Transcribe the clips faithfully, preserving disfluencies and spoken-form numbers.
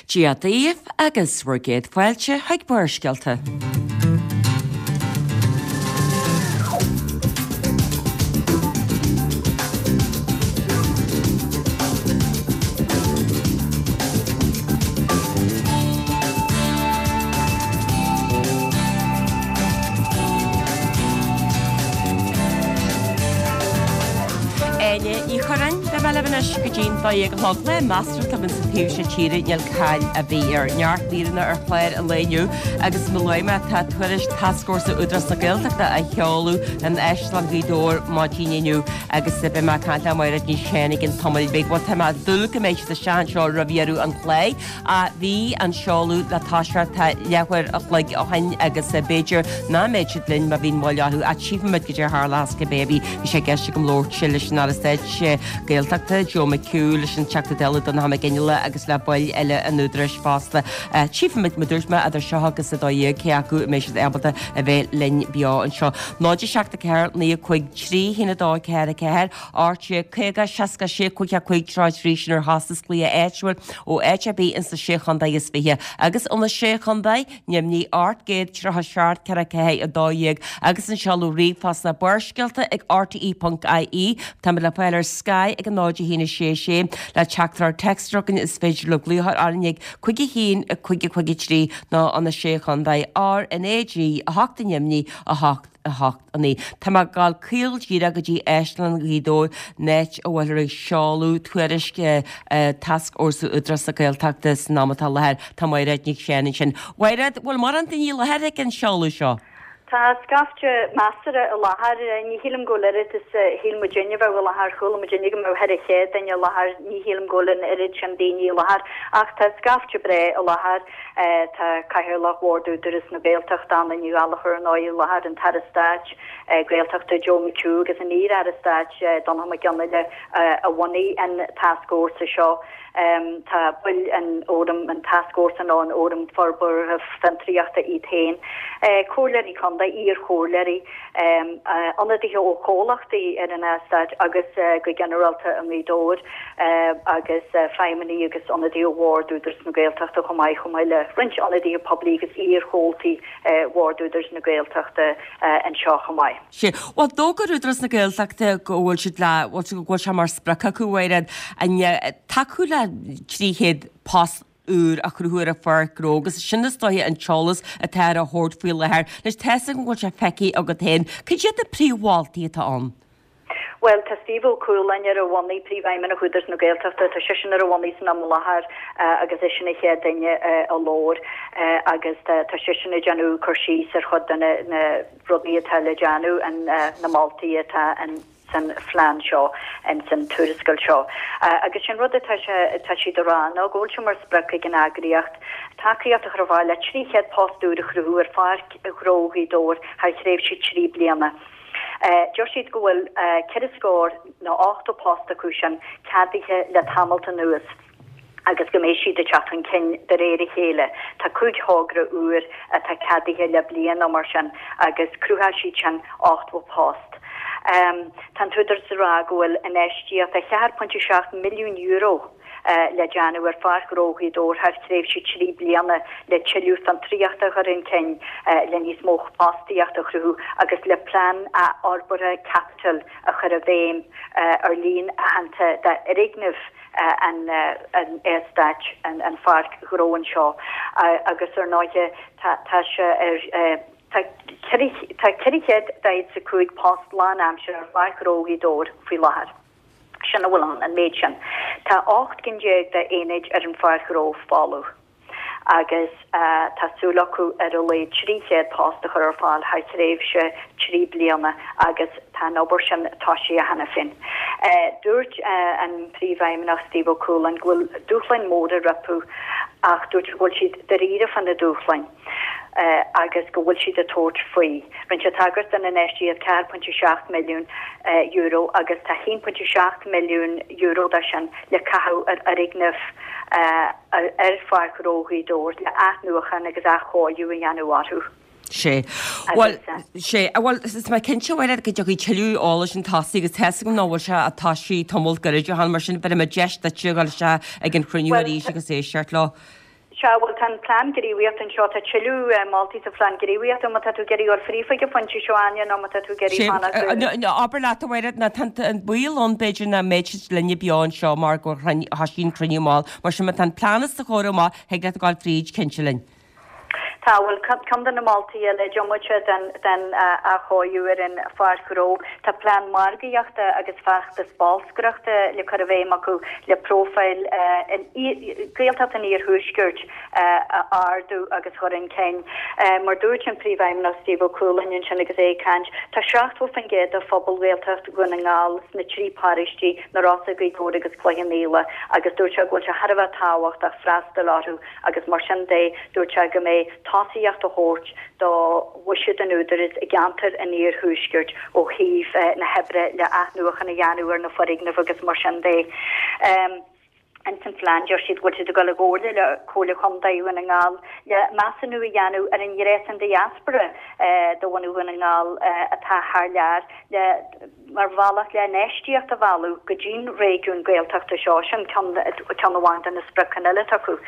Dia daoibh agus bhur gcéad fáilte chuig Barrscéalta. Áine Ní Churráin, beidh mé libh anois go dtí'n dó dhéag a chlog. Lá measartha tiubh insa taobh seo tíre, níl caill ar bith air. Neart míreanna ar chlár an lae inniu agus mar a luaigh mé tá tuairisc Tascfhórsa Údarás na Gaeltachta á sheoladh in Áislann Ghaoth Dobhair maidin inniu agus beidh mé ag caint le Mairéad Ní Shéaghdha i gcionn tamaill bhig. Bhuel tá mé ag dúil go mbeidh siad isteach anseo roimh dheireadh an chláir. Bhí an seoladh le toiseacht leathuair a chloig ó shin agus b'fhéidir nach mbeidh siad linn má bhíonn moill orthu ach tchífimid goidé a tharlós cibé ar bith. Bhí sé i gceist agam labhairt leis an Aire Stáit Gaeltachta, Joe McHugh, leis an Teachta Dála Donnchadh Mac Fhionnghaile agus le baill eile an Údaráis fosta. Tchífimid, mar dúirt mé, idir seo agus a dó dhéag cé acu a mbeidh siad ábalta a bheith linn beo anseo. náid a seacht a ceathair naoi a cúig trí haon a dó ceathair a ceathair, ocht déag caoga seasca sé cúig a cúig tríocha trí sin ar chostas glaoch áitiúil ó áit ar bith ins na Sé Chontae is Fiche agus ó na Sé Chontae, Nimhní ocht gcéad tríocha seacht ceithre ceathair a dó dhéag agus an seoladh ríomhphost ná Barrscéalta ag rte ponc ie. Táimid le fáil ar Sky ag a náid a haon a sé sé. Le teachtaireacht téacs a chugainn is féidir libh glaoch orainn ag cúig a haon a cúig a cúig a trí nó ó na Sé Chontae R N A G a hocht i nDoimní a hocht a hocht a naoi. Tá mé ag gabháil caol díreach go dtí Áislann Ghaoth Dobhair, an áit a bhfuilthear ag seoladh tuairisc Tascfhórsa Údarás na Gaeltachta san am atá i láthair. Tá Mairéad Nic Seáin ansin. Mhairéad, bhfuil mórán daoine i láthair ag an seoladh seo? Tá scaifte measartha i láthair. Ní shílim go bhfuil oiread is a shíl muidinne a bheadh i láthair. Chuala muidinne go mbeadh ceithre chéad duine i láthair. Ní shílim go bhfuil an oiread sin daoine i láthair. Ach tá scaifte breá i láthair. Tá Cathaoirleach Bhord Údarás na Gaeltachta, Anna Ní Ghallchóir, ar ndóigh, i láthair, an tAire Stáit Gaeltachta Joe McHugh agus an iar-Aire Stáit Donnchadh Mac Fhionnghaile a bhunaigh an tascfhórsa seo. Tá baill an fhóraim, an tascfhórsa nó an Fhóram Forbartha Fiontraíochta iad féin, comhairleoirí contae, iar-chomhairleoirí, ionadaithe ó chomhlachtaí ar an eastát agus go ginearálta i nGaoth Dobhair agus feidhmeannaigh agus ionadaithe ó Bhord Údarás na Gaeltachta chomh maith, chomh maith le roinnt ionadaithe poiblí agus iar-chomhaltaí Bhord Údarás na Gaeltachta anseo chomh maith. Sea. Bhuel, d'fhógair Údarás na Gaeltachta go bhfuil siad le, bhuel, go bhfuil sé mar sprioc acu, a Mhairéad, an tacú le trí chéad post úr a chruthú ar an pháirc ghnó agus sin is dóiche an t-eolas atá á thabhairt faoi láthair. Anois, tá's agam go bhfuil sé feicthe agat féin. Cad iad na príomh-mholtaí atá ann? Bhuel, tá Steve Ó Cualáin ar a bhonnaí, Príomhfheidhmeannach Údarás na Gaeltachta, tá seisean ar a bhonnaí san am i láthair agus eisean an chéad duine a labhair agus tá seisean ag déanamh cur síos ar chuid de na rudaí atá le déanamh, na moltaí atá san phlean seo, san tuarascáil seo. Agus sin rud atá sé, atá siad a rá ná go bhfuil sé mar sprioc ag an eagraíocht tacaíocht a chur ar fáil le trí chéad post úr a chruthú ar Pháirc Ghnó Ghaoth Dobhair thar thréimhse trí bliana. Deir siad go bhfuil ceithre scór nó ochtó post acu sin ceadaithe le tamalt anuas agus go mbeidh siad ag teacht chun cinn de réir a chéile. Tá cúig thogra úr atá ceadaithe le bliain nó mar sin agus cruthóidh siad sin ochtó post. Tá an tÚdarás ag rá go bhfuil infheistíocht a ceathair pointe seacht milliún euro le déanamh ar Pháirc Ghnó Ghaoth Dobhair thar thréimhse trí bliana le tuilleadh fiontraíochta a chur chun cinn, le níos mó fostaíochta a chruthú agus le plean athfhorbartha caipitil a chur i bhfeidhm ar líon aitheanta d'fhoirgnimh an eastáit, an pháirc ghnó anseo agus ar ndóighe tá sé ar tá ceithre chéad daichead is a cúig post lánaimseartha ar Pháirc Ghnó Ghaoth Dobhair faoi láthair. Sin a bhfuil ann, an méid sin. Tá ocht gcinn déag d'aonaid ar an pháirc ghnó folamh agus tá súil acu ar a laghad trí chéad post a chur ar fáil thar thréimhse trí bliana agus tá an obair sin tosaithe cheana féin. Dúirt an Príomhfheidhmeannach Steve Ó Cualáin go bhfuil dúshláin mhóra rompu ach dúirt sé go bhfuil siad dáiríre fá na dúshláin. agus go bhfuil siad ag tabhairt faoi. Rinne sé tagairt don infheistíocht ceathair pointe seacht milliún euro agus tá haon pointe seacht milliún euro de sin le caitheamh ar fhoirgnimh ar Pháirc Ghnó Ghaoth Dobhair le athnuachan agus athchóiriú a dhéanamh orthu. Sea. Bhuel, sea. Bhuel, tá mé cinnte, a Mhairéad, go dtiocfaidh tuilleadh eolais chun tosaigh agus tá's agam nach bhfuil sé ach tosaithe tamall gairid ó shin, mar sin bhéarfaidh mé deis duitse a dhul isteach ag an chruinniú arís agus éisteacht leo. Sea, bhuel, tá an plean gníomhaíochta anseo, tá tuilleadh moltaí sa phlean gníomhaíochta, má tá tú ag iarraidh dul fríd chuig an phointe seo, Áine, nó má tá tú ag iarraidh fanacht. Abair leat, a Mháire, ná tá an baol ann, b'fhéidir, nach mbeidh siad linne beo anseo mar go thosaigh an cruinniú mall. Mar sin, má tá an plean os do chomhair amach, thig leat a ghabháil fríd, cinnte linn. Tá, bhuel, ceann de na moltaí eile, diomaite den den athchóiriú ar an pháirc ghnó, tá plean margaíochta agus feachtas bolscaireachta le cur i bhfeidhm acu le próifíl Ghaeltacht an Iarthuaiscirt a ardú agus a chur chun cinn. Mar dúirt an Príomhfheidhmeannach Steve Ó Cualáin ansin agus é ag caint, tá seachtó faoin gcéad de phobal Ghaeltacht Dhún na nGall sna trí paróistí, Na Rosa, Gaoth Dobhair agus Cloich Cheann Fhaola, agus dúirt sé go bhfuil sé thar a bheith tábhachtach freastal orthu agus mar sin de dúirt sé go mbeidh tosaíocht á thabhairt do bhuiséad an Údaráis i gceantar an iarthuaiscirt ó thaobh na hoibre le athnuachan a dhéanamh ar na foirgnimh agus mar sin de. Ins an phlean deir siad go bhfuil siad ag dul i gcomhairle le Comhairle Chontae Dhún na nGall le measúnú a dhéanamh ar an ngréasán diaspora de bhunadh Dhún na nGall atá thar lear le mar bhealach le infheistíocht a mhealladh go dtí'n réigiún Gaeltachta seo, sin ceann ceann amháin de na spriocanna eile atá acu.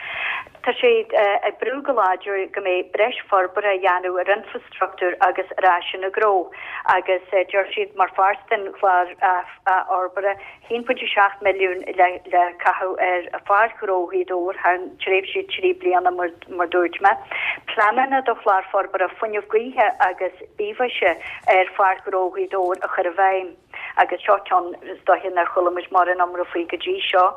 Tá siad ag brú go láidir go mbeidh breis forbartha á dhéanamh ar infreastruchtúr agus ar áiseanna gnó agus deir siad mar pháirt den chlár athfhorbartha, a haon pointe seacht milliún le le caitheamh ar Pháirc Ghnó Ghaoth Dobhair thar an tréimhse trí bliana mar mar dúirt mé. Pleananna do chlár forbartha fuinneamh gaoithe agus bithmhaise ar Pháirc Ghnó Ghaoth Dobhair a chur i bhfeidhm agus seo ceann is dóiche nár chuala muid mórán iomramh faoi go dtí seo.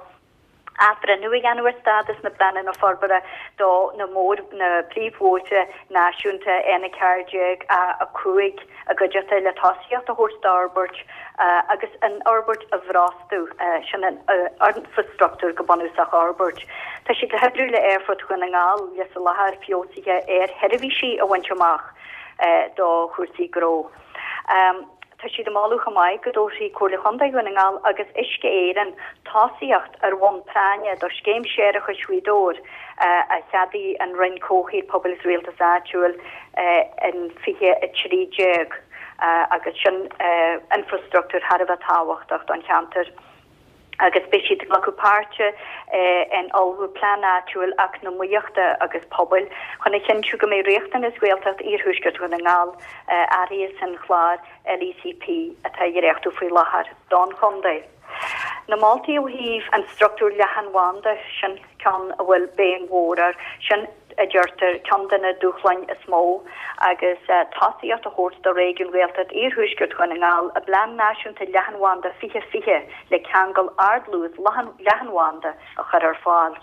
Athbhreithniú a dhéanamh ar stádas na bpleananna forbartha do na mór na príomhbhóithre náisiúnta N a ceathair déag, A a cúig i gcuideachta le tosaíocht a thabhairt d'fhorbairt agus an fhorbairt a bhrostú, sin an infreastruchtúr go bunúsach a fhorbairt. Tá siad le hoibriú le Aerfort Dhún na nGall le soláthar feabhsaithe aersheirbhísí a bhaint amach do chúrsaí gnó. Tá siad ag moladh chomh maith go dtabharfaidh Comhairle Chontae Dhún na nGall agus Uisce Éireann tosaíocht ar bhonn práinne do Scéim Séarachais Ghaoth Dobhair a cheadaigh an Roinn Comhshaoil, Pobail agus Rialtais Áitiúil in fiche a trí déag agus sin infreastruchtúr thar a bheith tábhachtach don cheantar. agus beidh siad ag glacadh páirte in ullmhú plean áitiúil eacnamaíochta agus pobail chun a chinntiú go mbeidh riachtanais Ghaeltacht Iarthuaisceart Dhún na nGall áirithe san chlár LECP atá á dhréachtú faoi láthair don chontae. Na moltaí ó thaobh an struchtúr leathanbhanda, sin ceann a bhfuil béim mhór air, sin a deirtear, ceann de na dúshláin is mó agus tosaíocht a thabhairt do réigiún Ghaeltacht Iarthuaisceart Dhún na nGall i bPlean Náisiúnta Leathanbhanda fiche fiche le ceangal ardluas leathanbhanda a chur ar fáil.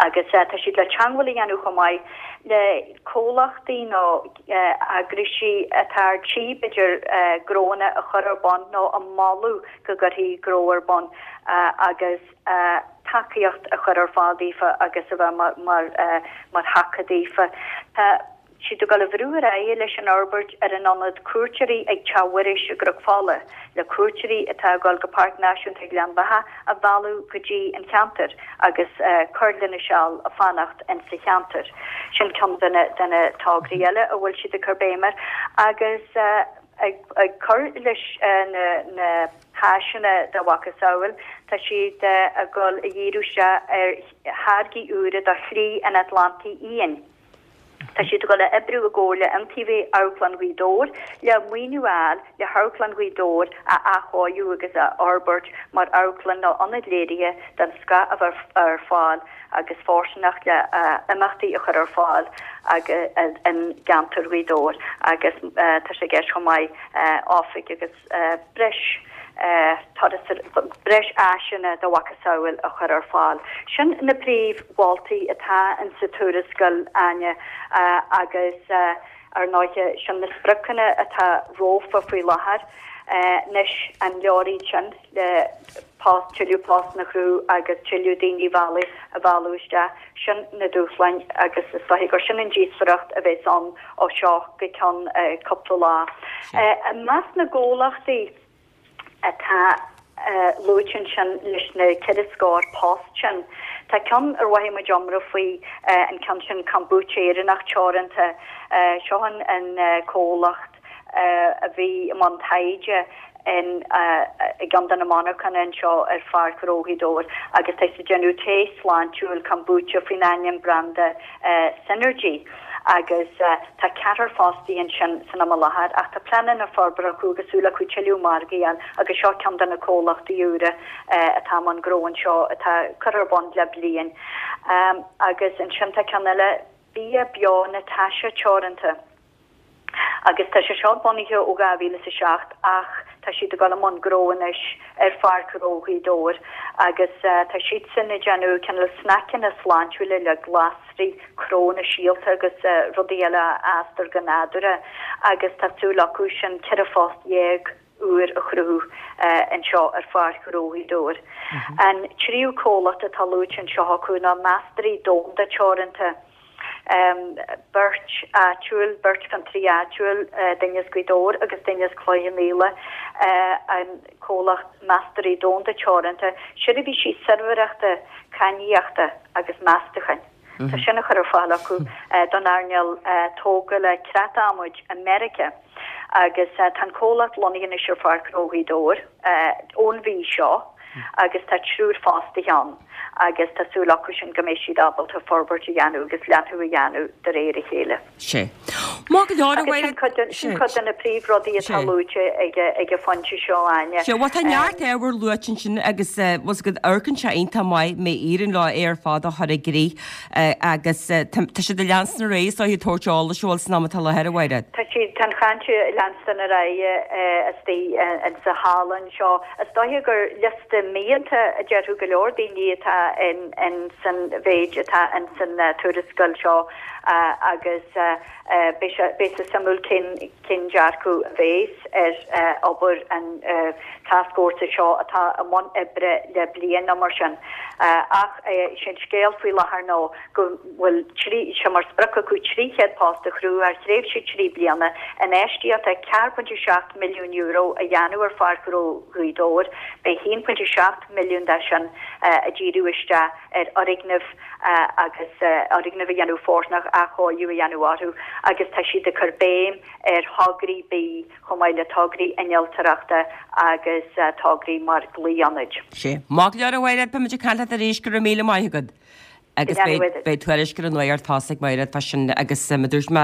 Agus tá siad le teagmháil a dhéanamh chomh maith le comhlachtaí nó eagraisí atá ar tí b'fhéidir gnóanna a chur ar bun nó a moladh go gcuirfí gnó ar bun agus tacaíocht a chur ar fáil daofa agus a bheith mar mar thaca daofa. Tá siad ag dul a bhrú ar aghaidh leis an fhorbairt ar an ionad cuairteoirí ag Teach Mhuiris i gCnoc Fola, le cuairteoirí atá ag dul go Páirc Náisiúnta Ghleann Bheatha a mhealladh go dtí an cheantar agus cur lena seal ag fanacht insa cheantar. Sin ceann de na de na tograí eile a bhfuil siad ag cur béim air agus ag cur leis na na háiseanna dá mhacasamhail, tá siad ag dul a dhíriú isteach ar tháirgí úra do Shlí an Atlantaigh Fhiáin. Tá siad ag dul a oibriú i gcomhar le Iontaobhaí Amharclann Ghaoth Dobhair le maoiniú a fháil le hAmharclann Ghaoth Dobhair a athchóiriú agus a fhorbairt mar amharclann nó ionad léirithe den scoth a bheith ar fáil agus fóirsteanach le imeachtaí a chur ar fáil i gceantar Ghaoth Dobhair agus tá sé i gceist chomh maith oifig agus breis turas breis áiseanna dá mhacasamhail a chur ar fáil. Sin na príomh-mholtaí atá insa tuarascáil, Áine, agus ar ndóighe sin na spriocanna atá rompu faoi láthair. Anois an leor iad sin le post, tuilleadh postanna a chruthú agus tuilleadh daoine a mhealladh a mhealladh isteach? Sin na dúshláin agus is dóiche gur sin an díospóireacht a bheas ann ó seo go ceann cúpla lá. I measc na gcomhlachtaí atá luaite ansin leis na ceithre scór post sin, tá ceann ar mhothaigh muid iomramh faoi, an ceann sin Kombucha Éireannach Teoranta. Seo an comhlacht a bhí i mbun taighde in i gceann de na monarchana anseo ar Pháirc Ghnó Ghaoth Dobhair agus tá siad ag déanamh tae sláintiúil kombucha faoin ainm branda Synergy agus tá ceathrar fostaí ansin san am i láthair ach tá pleananna forbartha acu agus súil acu tuilleadh margaí a fháil agus seo ceann de na comhlachtaí úra atá i mbun gnó anseo atá curtha ar bun le bliain. Agus ansin tá ceann eile, Bia Beo Natasha Teoranta. Agus tá sé seo bunaithe ó dhá mhíle is a seacht ach tá siad ag dul i mbun gnó anois ar Pháirc Ghnó Ghaoth Dobhair agus tá siadsan ag déanamh cineál sneaiceanna sláintiúla le glasraí, cnónna, síolta agus rudaí eile a fhástar go nádúrtha agus tá súil acu sin ceithre phost dhéag úr a chruthú anseo ar Pháirc Ghnó Ghaoth Dobhair. An tríú comhlacht atá luaite anseo acu ná Meastóirí Domhanda Teoranta. Beirt áitiúil, beirt fiontraí áitiúil, duine as Gaoth Dobhair agus duine as Cloich Cheann Fhaola, an comhlacht Meastóirí Domhanda Teoranta, seirbhísí suirbhéireachta, cainníochta agus meastacháin. Tá sin á chur ar fáil acu don earnáil tógála creat-adhmaid i Meiriceá agus tá an comhlacht lonnaithe anois ar Pháirc Ghnó Ghaoth Dobhair ón mhí seo. agus tá triúr fostaithe ann agus tá súil acu sin go mbeidh siad ábalta forbairt a dhéanamh agus leathnú a dhéanamh de réir a chéile. Sé. Maith go leor, a Agus sin cuid de, sin cuid de na príomhrudaí atá luaite ag, ag an bhfoinse seo, Áine. Sé, bhuel tá neart ábhar luaite ansin agus bhfuil 's agat amharcann sé iontach maith má éiríonn leo é ar fad a chur i gcrích agus tá siad ag leanstan ar aghaidh is dóiche ag tabhairt eolais a bhfuil san am atá i láthair, a Mháire. Tá siad, tá an chaint ag leanstan ar aghaidh istigh insa halla anseo. Is dóiche gur liosta mianta a déarfadh go leor daoine atá in san mhéid atá in san tuarascáil seo agus beidh sé beidh sé suimiúil cén cén dearcadh a bhéas ar obair an tascfhórsa seo atá i mbun oibre le bliain nó mar sin. Ach sé an scéal faoi láthair ná go bhfuil trí sé mar sprioc acu trí chéad post a chruthú thar thréimhse trí bliana, infheistíocht a ceathair pointe seacht milliún euro a dhéanamh ar Pháirc Ghnó Ghaoth Dobhair, beidh a haon pointe seacht milliún de sin ag díriú isteach ar fhoirgnimh agus fhoirgnimh a dhéanamh fóirsteanach, athchóiriú a dhéanamh orthu agus tá siad ag cur béim ar thograí bídh chomh maith le tograí innealtóireachta agus tograí mar ghlaoionaid. Sé. Maith go leor a Mháire, beimid ag caint leat arís, go raibh míle maith agat. Agus beidh, beidh tuairisc ar an Nuacht tosaigh Máire fá sin agus mar a dúirt mé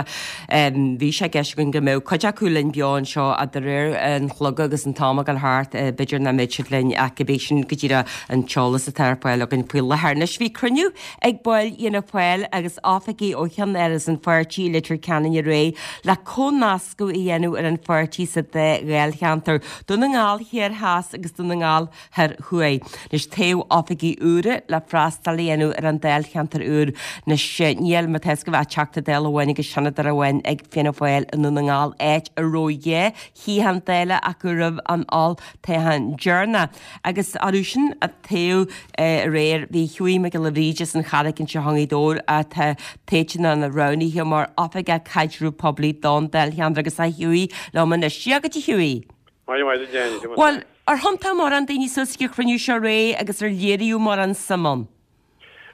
bhí sé i gceist againn go mbeadh cuid acu linn beo anseo ach de réir an chloig agus an t-am ag dul thart b'fhéidir nach mbeidh siad linn ach cibé sin go díreach an t-eolas atá ar fáil againn faoi láthair. Anois bhí cruinniú ag baill Fhianna Fáil agus oifigigh ó cheann-áras an pháirtí i Leitir Ceanainn aréir le comhnascadh a dhéanamh ar an pháirtí sa dá dháilcheantar, Dún na nGall Thiar Theas agus Dún na nGall Thoir Thuaidh. Anois toghadh oifigigh úra le freastal a dhéanamh ar an dáilcheantar úr. Anois níl, mar tá 'fhios agaibh, ach Teachta Dála amháin agus Seanadóir amháin ag Fianna Fáil i nDún na nGall, áit a raibh dhá shuíochán Dála acu roimh an olltoghchán deireanach. Agus orthu sin a toghadh aréir bhí Hughie Mac Giolla Bhríde as an Charraic anseo i ngaoth Dobhair atá tofa nó roghnaithe mar Oifigeach Caidreamh Poiblí don dáilcheantar agus tá Hughie liom anois. Dia dhuit a Hughie. Maith maith duit Áine. Bhuel, ar thiontaigh mórán daoine suas ag an chruinniú seo aréir agus ar léiríodh mórán suim ann?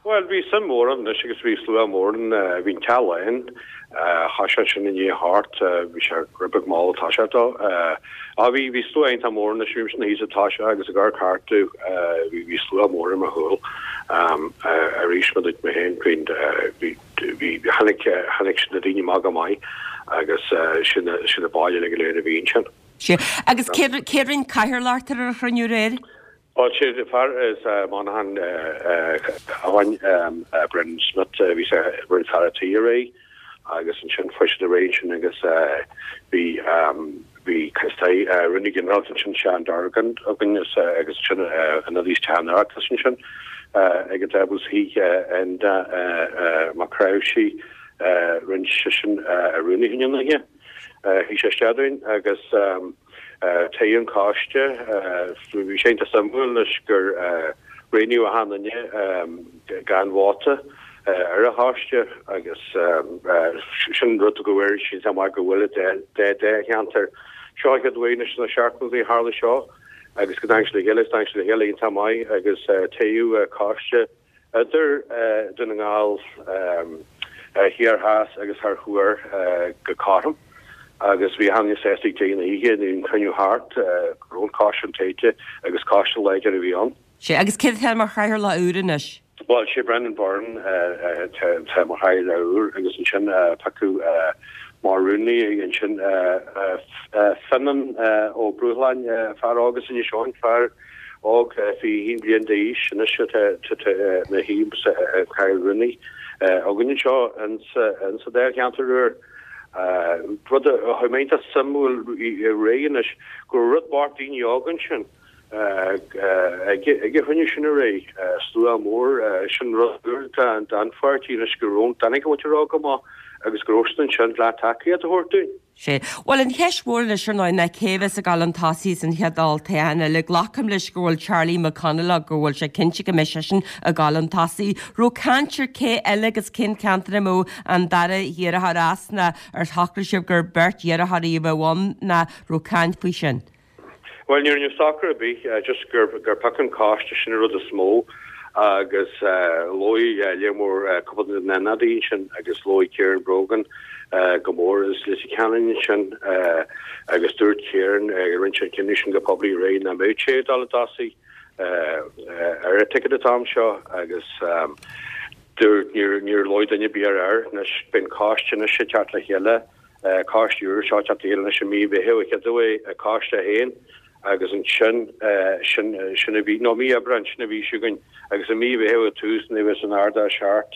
Bhuel, bhí suim mhór ann anois agus bhí slua mór ann. Bhí an teach lán. Thoisigh sin i ndiaidh a hocht. Bhí sé rud beag mall ag toiseacht dó. Á, bhí, bhí slua iontach mór anois. Bhí mise thíos ag toiseacht agus ag amharc thart. Bhí, bhí slua mór ar mo chúl. Arís, mar a dúirt mé féin, bhí, bhí, bhí, tháinig, tháinig na daoine amach go maith agus sin, sin na baill uilig go léir a bhí ansin. Sea. Agus cé cé rinne cathaoirleacht ar an chruinniú aréir? Bhuel, sé an fear as Monaghan amháin, Brendan Smith, bhí sé rinne fear a' tí aréir agus ansin fuair siad ar aghaidh ansin agus bhí bhí Rúnaí Ginearálta ansin Seán Dorgan againn agus ansin ionadaí as Teach an Oireachtais ansin ag an tábla shuigh Enda Mac Cráimhsí rinne seisean rúnaí an oíche. Shuigh sé isteach dúinn agus toghadh an coiste. Bhí sé iontach suimiúil anois gur roghnaíodh achan duine gan vóta ar an choiste agus sin rud go bhfuil sé iontach maith go bhfuil dá dháilcheantar. Seo an chéad uair anois sna seachtóidí a tharla seo agus go dtáinig siad le chéile agus tháinig siad le chéile iontach maith agus toghadh coiste idir Dún na nGall Thiar Theas agus Thoir Thuaidh go cothrom Agus bhí achan duine sásta ag deireadh na hoíche nuair an cruinniú thart go raibh an coiste sin toghta agus coiste láidir a bhí ann. Sea, agus cé atá mar chathaoirleach úr anois? Bhuel, sé Brendan Byrne atá mar chathaoirleach úr agus ansin piocadh mar rúnaí ansin Fionnán Ó Brúshláin, fear óg as Inis Eoghain, fear óg fiche haon bliain d'aois anois atá ina shuí sa chathaoir rúnaí againn anseo insa dáilcheantar úr. Rud a chuir mé iontach suimiúil aréir anois go raibh rud bocht daoine óga ansin ag an chruinniú sin aréir, slua mór, sin rud úr don pháirtí anois go raibh an mhuintir óg amach agus go raibh siad ansin le tacaíocht a thabhairt dúinn. Sea. Bhuel, an cheist mhór anois ar ndóigh ná cé a bheas ag dul chun tosaigh san chéad olltoghchán eile. Glacaim leis go bhfuil Charlie McConalogue, go bhfuil sé cinnte go mbeidh seisean ag dul chun tosaigh. Raibh caint ar cé eile agus cén ceantar a mbeadh an dara hiarrthóir as nó ar shocraigh sibh gur beirt iarrthóirí a bheadh ann nó raibh caint faoi sin? Bhuel, ní raibh socrú ar bith, just gur piocadh an coiste, sin an rud is mó agus luaigh lear mór cúpla de na n-ionadaithe ansin agus luaigh Ciarán Brogan go mór as Leitir Ceanainn ansin agus dúirt Ciarán, rinne sé an cinneadh sin go poiblí aréir nach mbeadh sé ag dul i dtosaigh ar an ticket an t-am seo agus dúirt níor luaigh duine ar bith air anois beidh an coiste anois ag teacht le chéile coiste úr seo ag teacht le chéile anois i mí Mheithimh an chéad uair, coiste a haon agus ansin sin sin a bhí, nó mí Aibreáin sin a bhí againn agus i mí Mheithimh ag tús nuair a bheas an Ard-Fheis thart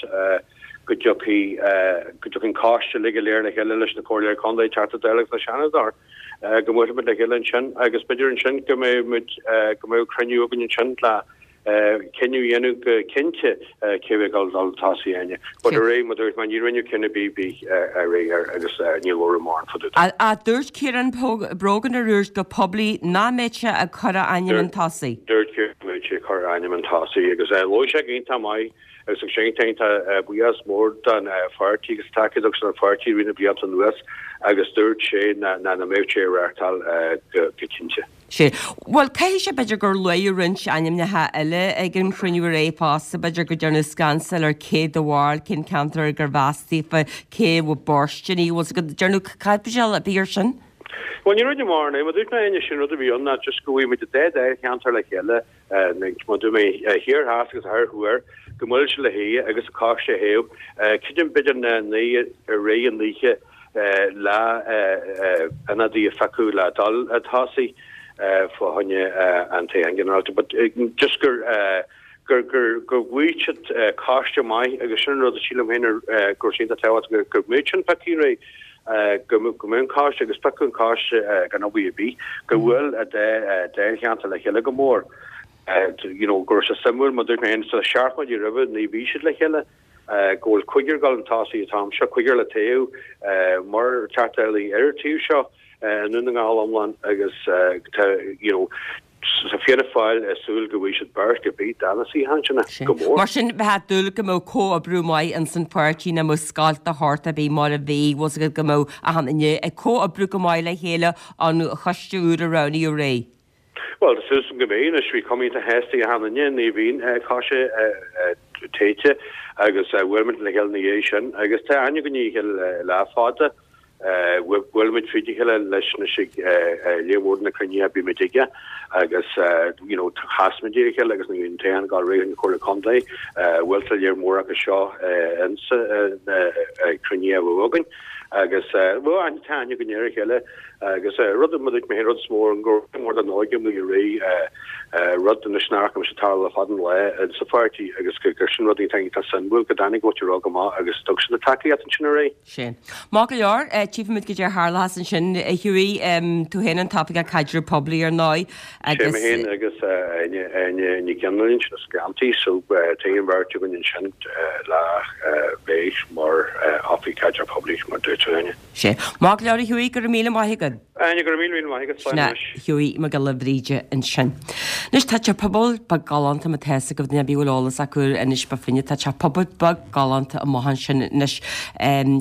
go dtiocfaidh go dtiocfaidh an coiste uilig go léir le chéile leis na comhairleoirí contae, Teachta Dála agus na Seanadóir go mbuailfidh muid le chéile ansin agus b'fhéidir ansin go mbeidh muid go mbeidh cruinniú againn ansin le cinneadh a dhéanamh go cinnte cé bheidh ag dul chun tosaigh Áine. But aréir, mar dúirt mé, ní rinneadh cinneadh ar bith aréir agus níor labhradh mórán fá dtaobh de. Ach dúirt Ciarán Brogan aréir go poiblí nach mbeadh sé ag cur a ainm chun tosaigh. Dúirt Ciarán nach mbeadh sé ag cur a ainm chun tosaigh agus labhair sé go iontach maith agus thug sé iontach iontach buíochas mór don pháirtí agus tacaíocht a thug sé don pháirtí i rith na blianta anuas agus dúirt sé nach mbeadh sé ag reáchtáil go cinnte. Sea. Bhuel, caithfidh sé, b'fhéidir, gur luadh roinnt ainmneacha eile ag an chruinniú aréir fosta, b'fhéidir go ndearnadh scansáil ar cé do bharúil, cén ceantar gur mheas daofa, cé a bhfuil b'fhóirsteanaí, bhfuil 's agat, dearnadh caibidil ar bith air sin? Bhuel, ní rinneadh mórán, mar dúirt mé Áine, sin rud a bhí ann ná just go bhfuil muid an dá dáilcheantar le chéile, mar dúirt mé, thiar theas agus thoir thuaidh, go mbuailfidh siad le chéile agus an coiste a thoghadh, creidim b'fhéidir na naoi i rith an oíche, le ionadaí a phiocadh le dul a tosaigh fá choinne an toghcháin ginearálta but just gur gur gur go bhfuair siad coiste maith agus sin an rud a sílim féin go raibh sé iontach tábhachtach go mbeadh sin pioctha aréir go mbeadh an coiste agus piocadh an coiste gan obair ar bith go bhfuil an dá dáilcheantar le chéile go mór you know go raibh sé suimiúil mar dúirt mé féin sna seachtainí roimhe ní bhí siad le chéile go bhfuil cúigear ag dul chun tosaigh an t-am seo, cúigear le toghadh mar Teachta Dála ar an taobh seo i nDún na nGall iomlán agus tá you know tá Fianna Fáil ag súil go bhfaighidh siad beirt ar bith de na suíocháin sin go mór. Mar sin, bheifeá ag dúil go mbeadh comhoibriú maith ins an pháirtí nach mbeadh scoilt de shórt ar bith mar a bhí, bhfuil 's agat go mbeadh achan duine ag comhoibriú go maith le chéile an choiste úr a roghnaíodh aréir. Bhuel, tá súil agam go mbeidh. Anois, bhí cuma iontach shásta ag achan duine nuair a bhí an coiste toghta agus bhuail muid le chéile ina dhiaidh sin agus tá aithne againn ar a chéile le fada. Bhuail muid fríd a chéile leis anois ag lear mór de na cruinnithe a bhí muid aige agus you know chas muid ar a chéile agus nuair a bhí an toghchán ag dul ar aghaidh an Chomhairle Contae bhuail tá lear mór acu seo insa na cruinnithe a bhí againn agus bhuel aithne tá aithne againn ar a chéile. Agus rud, mar a dúirt mé féin, rud is mó, go raibh mór den óige amuigh aréir, rud anois nach raibh sé ag tarlú le fada an lá insa pháirtí agus gur sin rud iontach iontach suimiúil go dtáinig an mhuintir óg amach agus thug siad a tacaíocht ansin aréir. Sin. Maith go leor, tchífimid goidé a tharlós ansin, a Hughie, tú féin an tOifigeach Caidreamh Poiblí ar ndóigh agus. Sé mé féin agus Áine, Áine Ní Ghionnáin ansin as Gleanntaí so tá an bheirt againn ansin le bheith mar Oifigeach Caidreamh Poiblí mar dúirt tú Áine. Sea. Maith go leor a Hughie, go raibh míle maith agat. Áine, go raibh míle míle maith agat, Sin é Hughie Mac Giolla Bhríde ansin. Anois tá teach pobail beag galánta má tá fhios agaibh duine ar bith a bhfuil eolas acu ar Inis Bó Finne, tá teach pobail beag galánta amach ansin anois.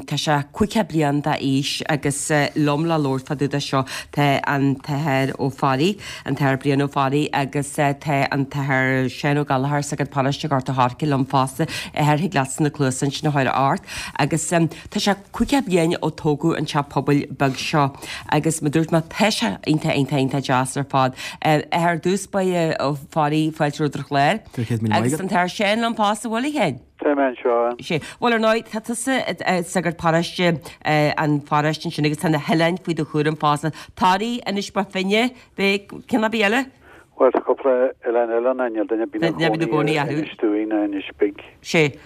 Tá sé caoga bliain d'aois agus liom le labhairt fá dtaobh de seo tá an tAthair Ó Fearraigh, an tAthair Brian Ó Fearraigh agus tá an tAthair Seán Ó Gallchóir, sagart paróiste Ghort a' Choirce liom fosta, athair thig leatsa na cluasa ansin a chur ort agus tá sé caoga bliain ó tógadh an teach pobail beag seo agus mar dúirt mé tá sé iontach iontach iontach deas ar fad. Athair ar dtús báire Ó Fearraigh fáilte romhat ar an chlár. Agus an tAthair Seán liom fosta, bhfuil a Sheáin? Tá mé anseo. Sé. Bhuel ar ndóigh tá tusa sagart paróiste an pharóiste ansin agus tá na hoileáin faoi do chúram fosta. Toraigh, Inis Bó Finne, beidh ceann ar bith eile? Bhuel, tá cúpla oileán eile ann, níl duine ar bith ina gcónaí ar Inis Dúin ná Inis Big. Sé.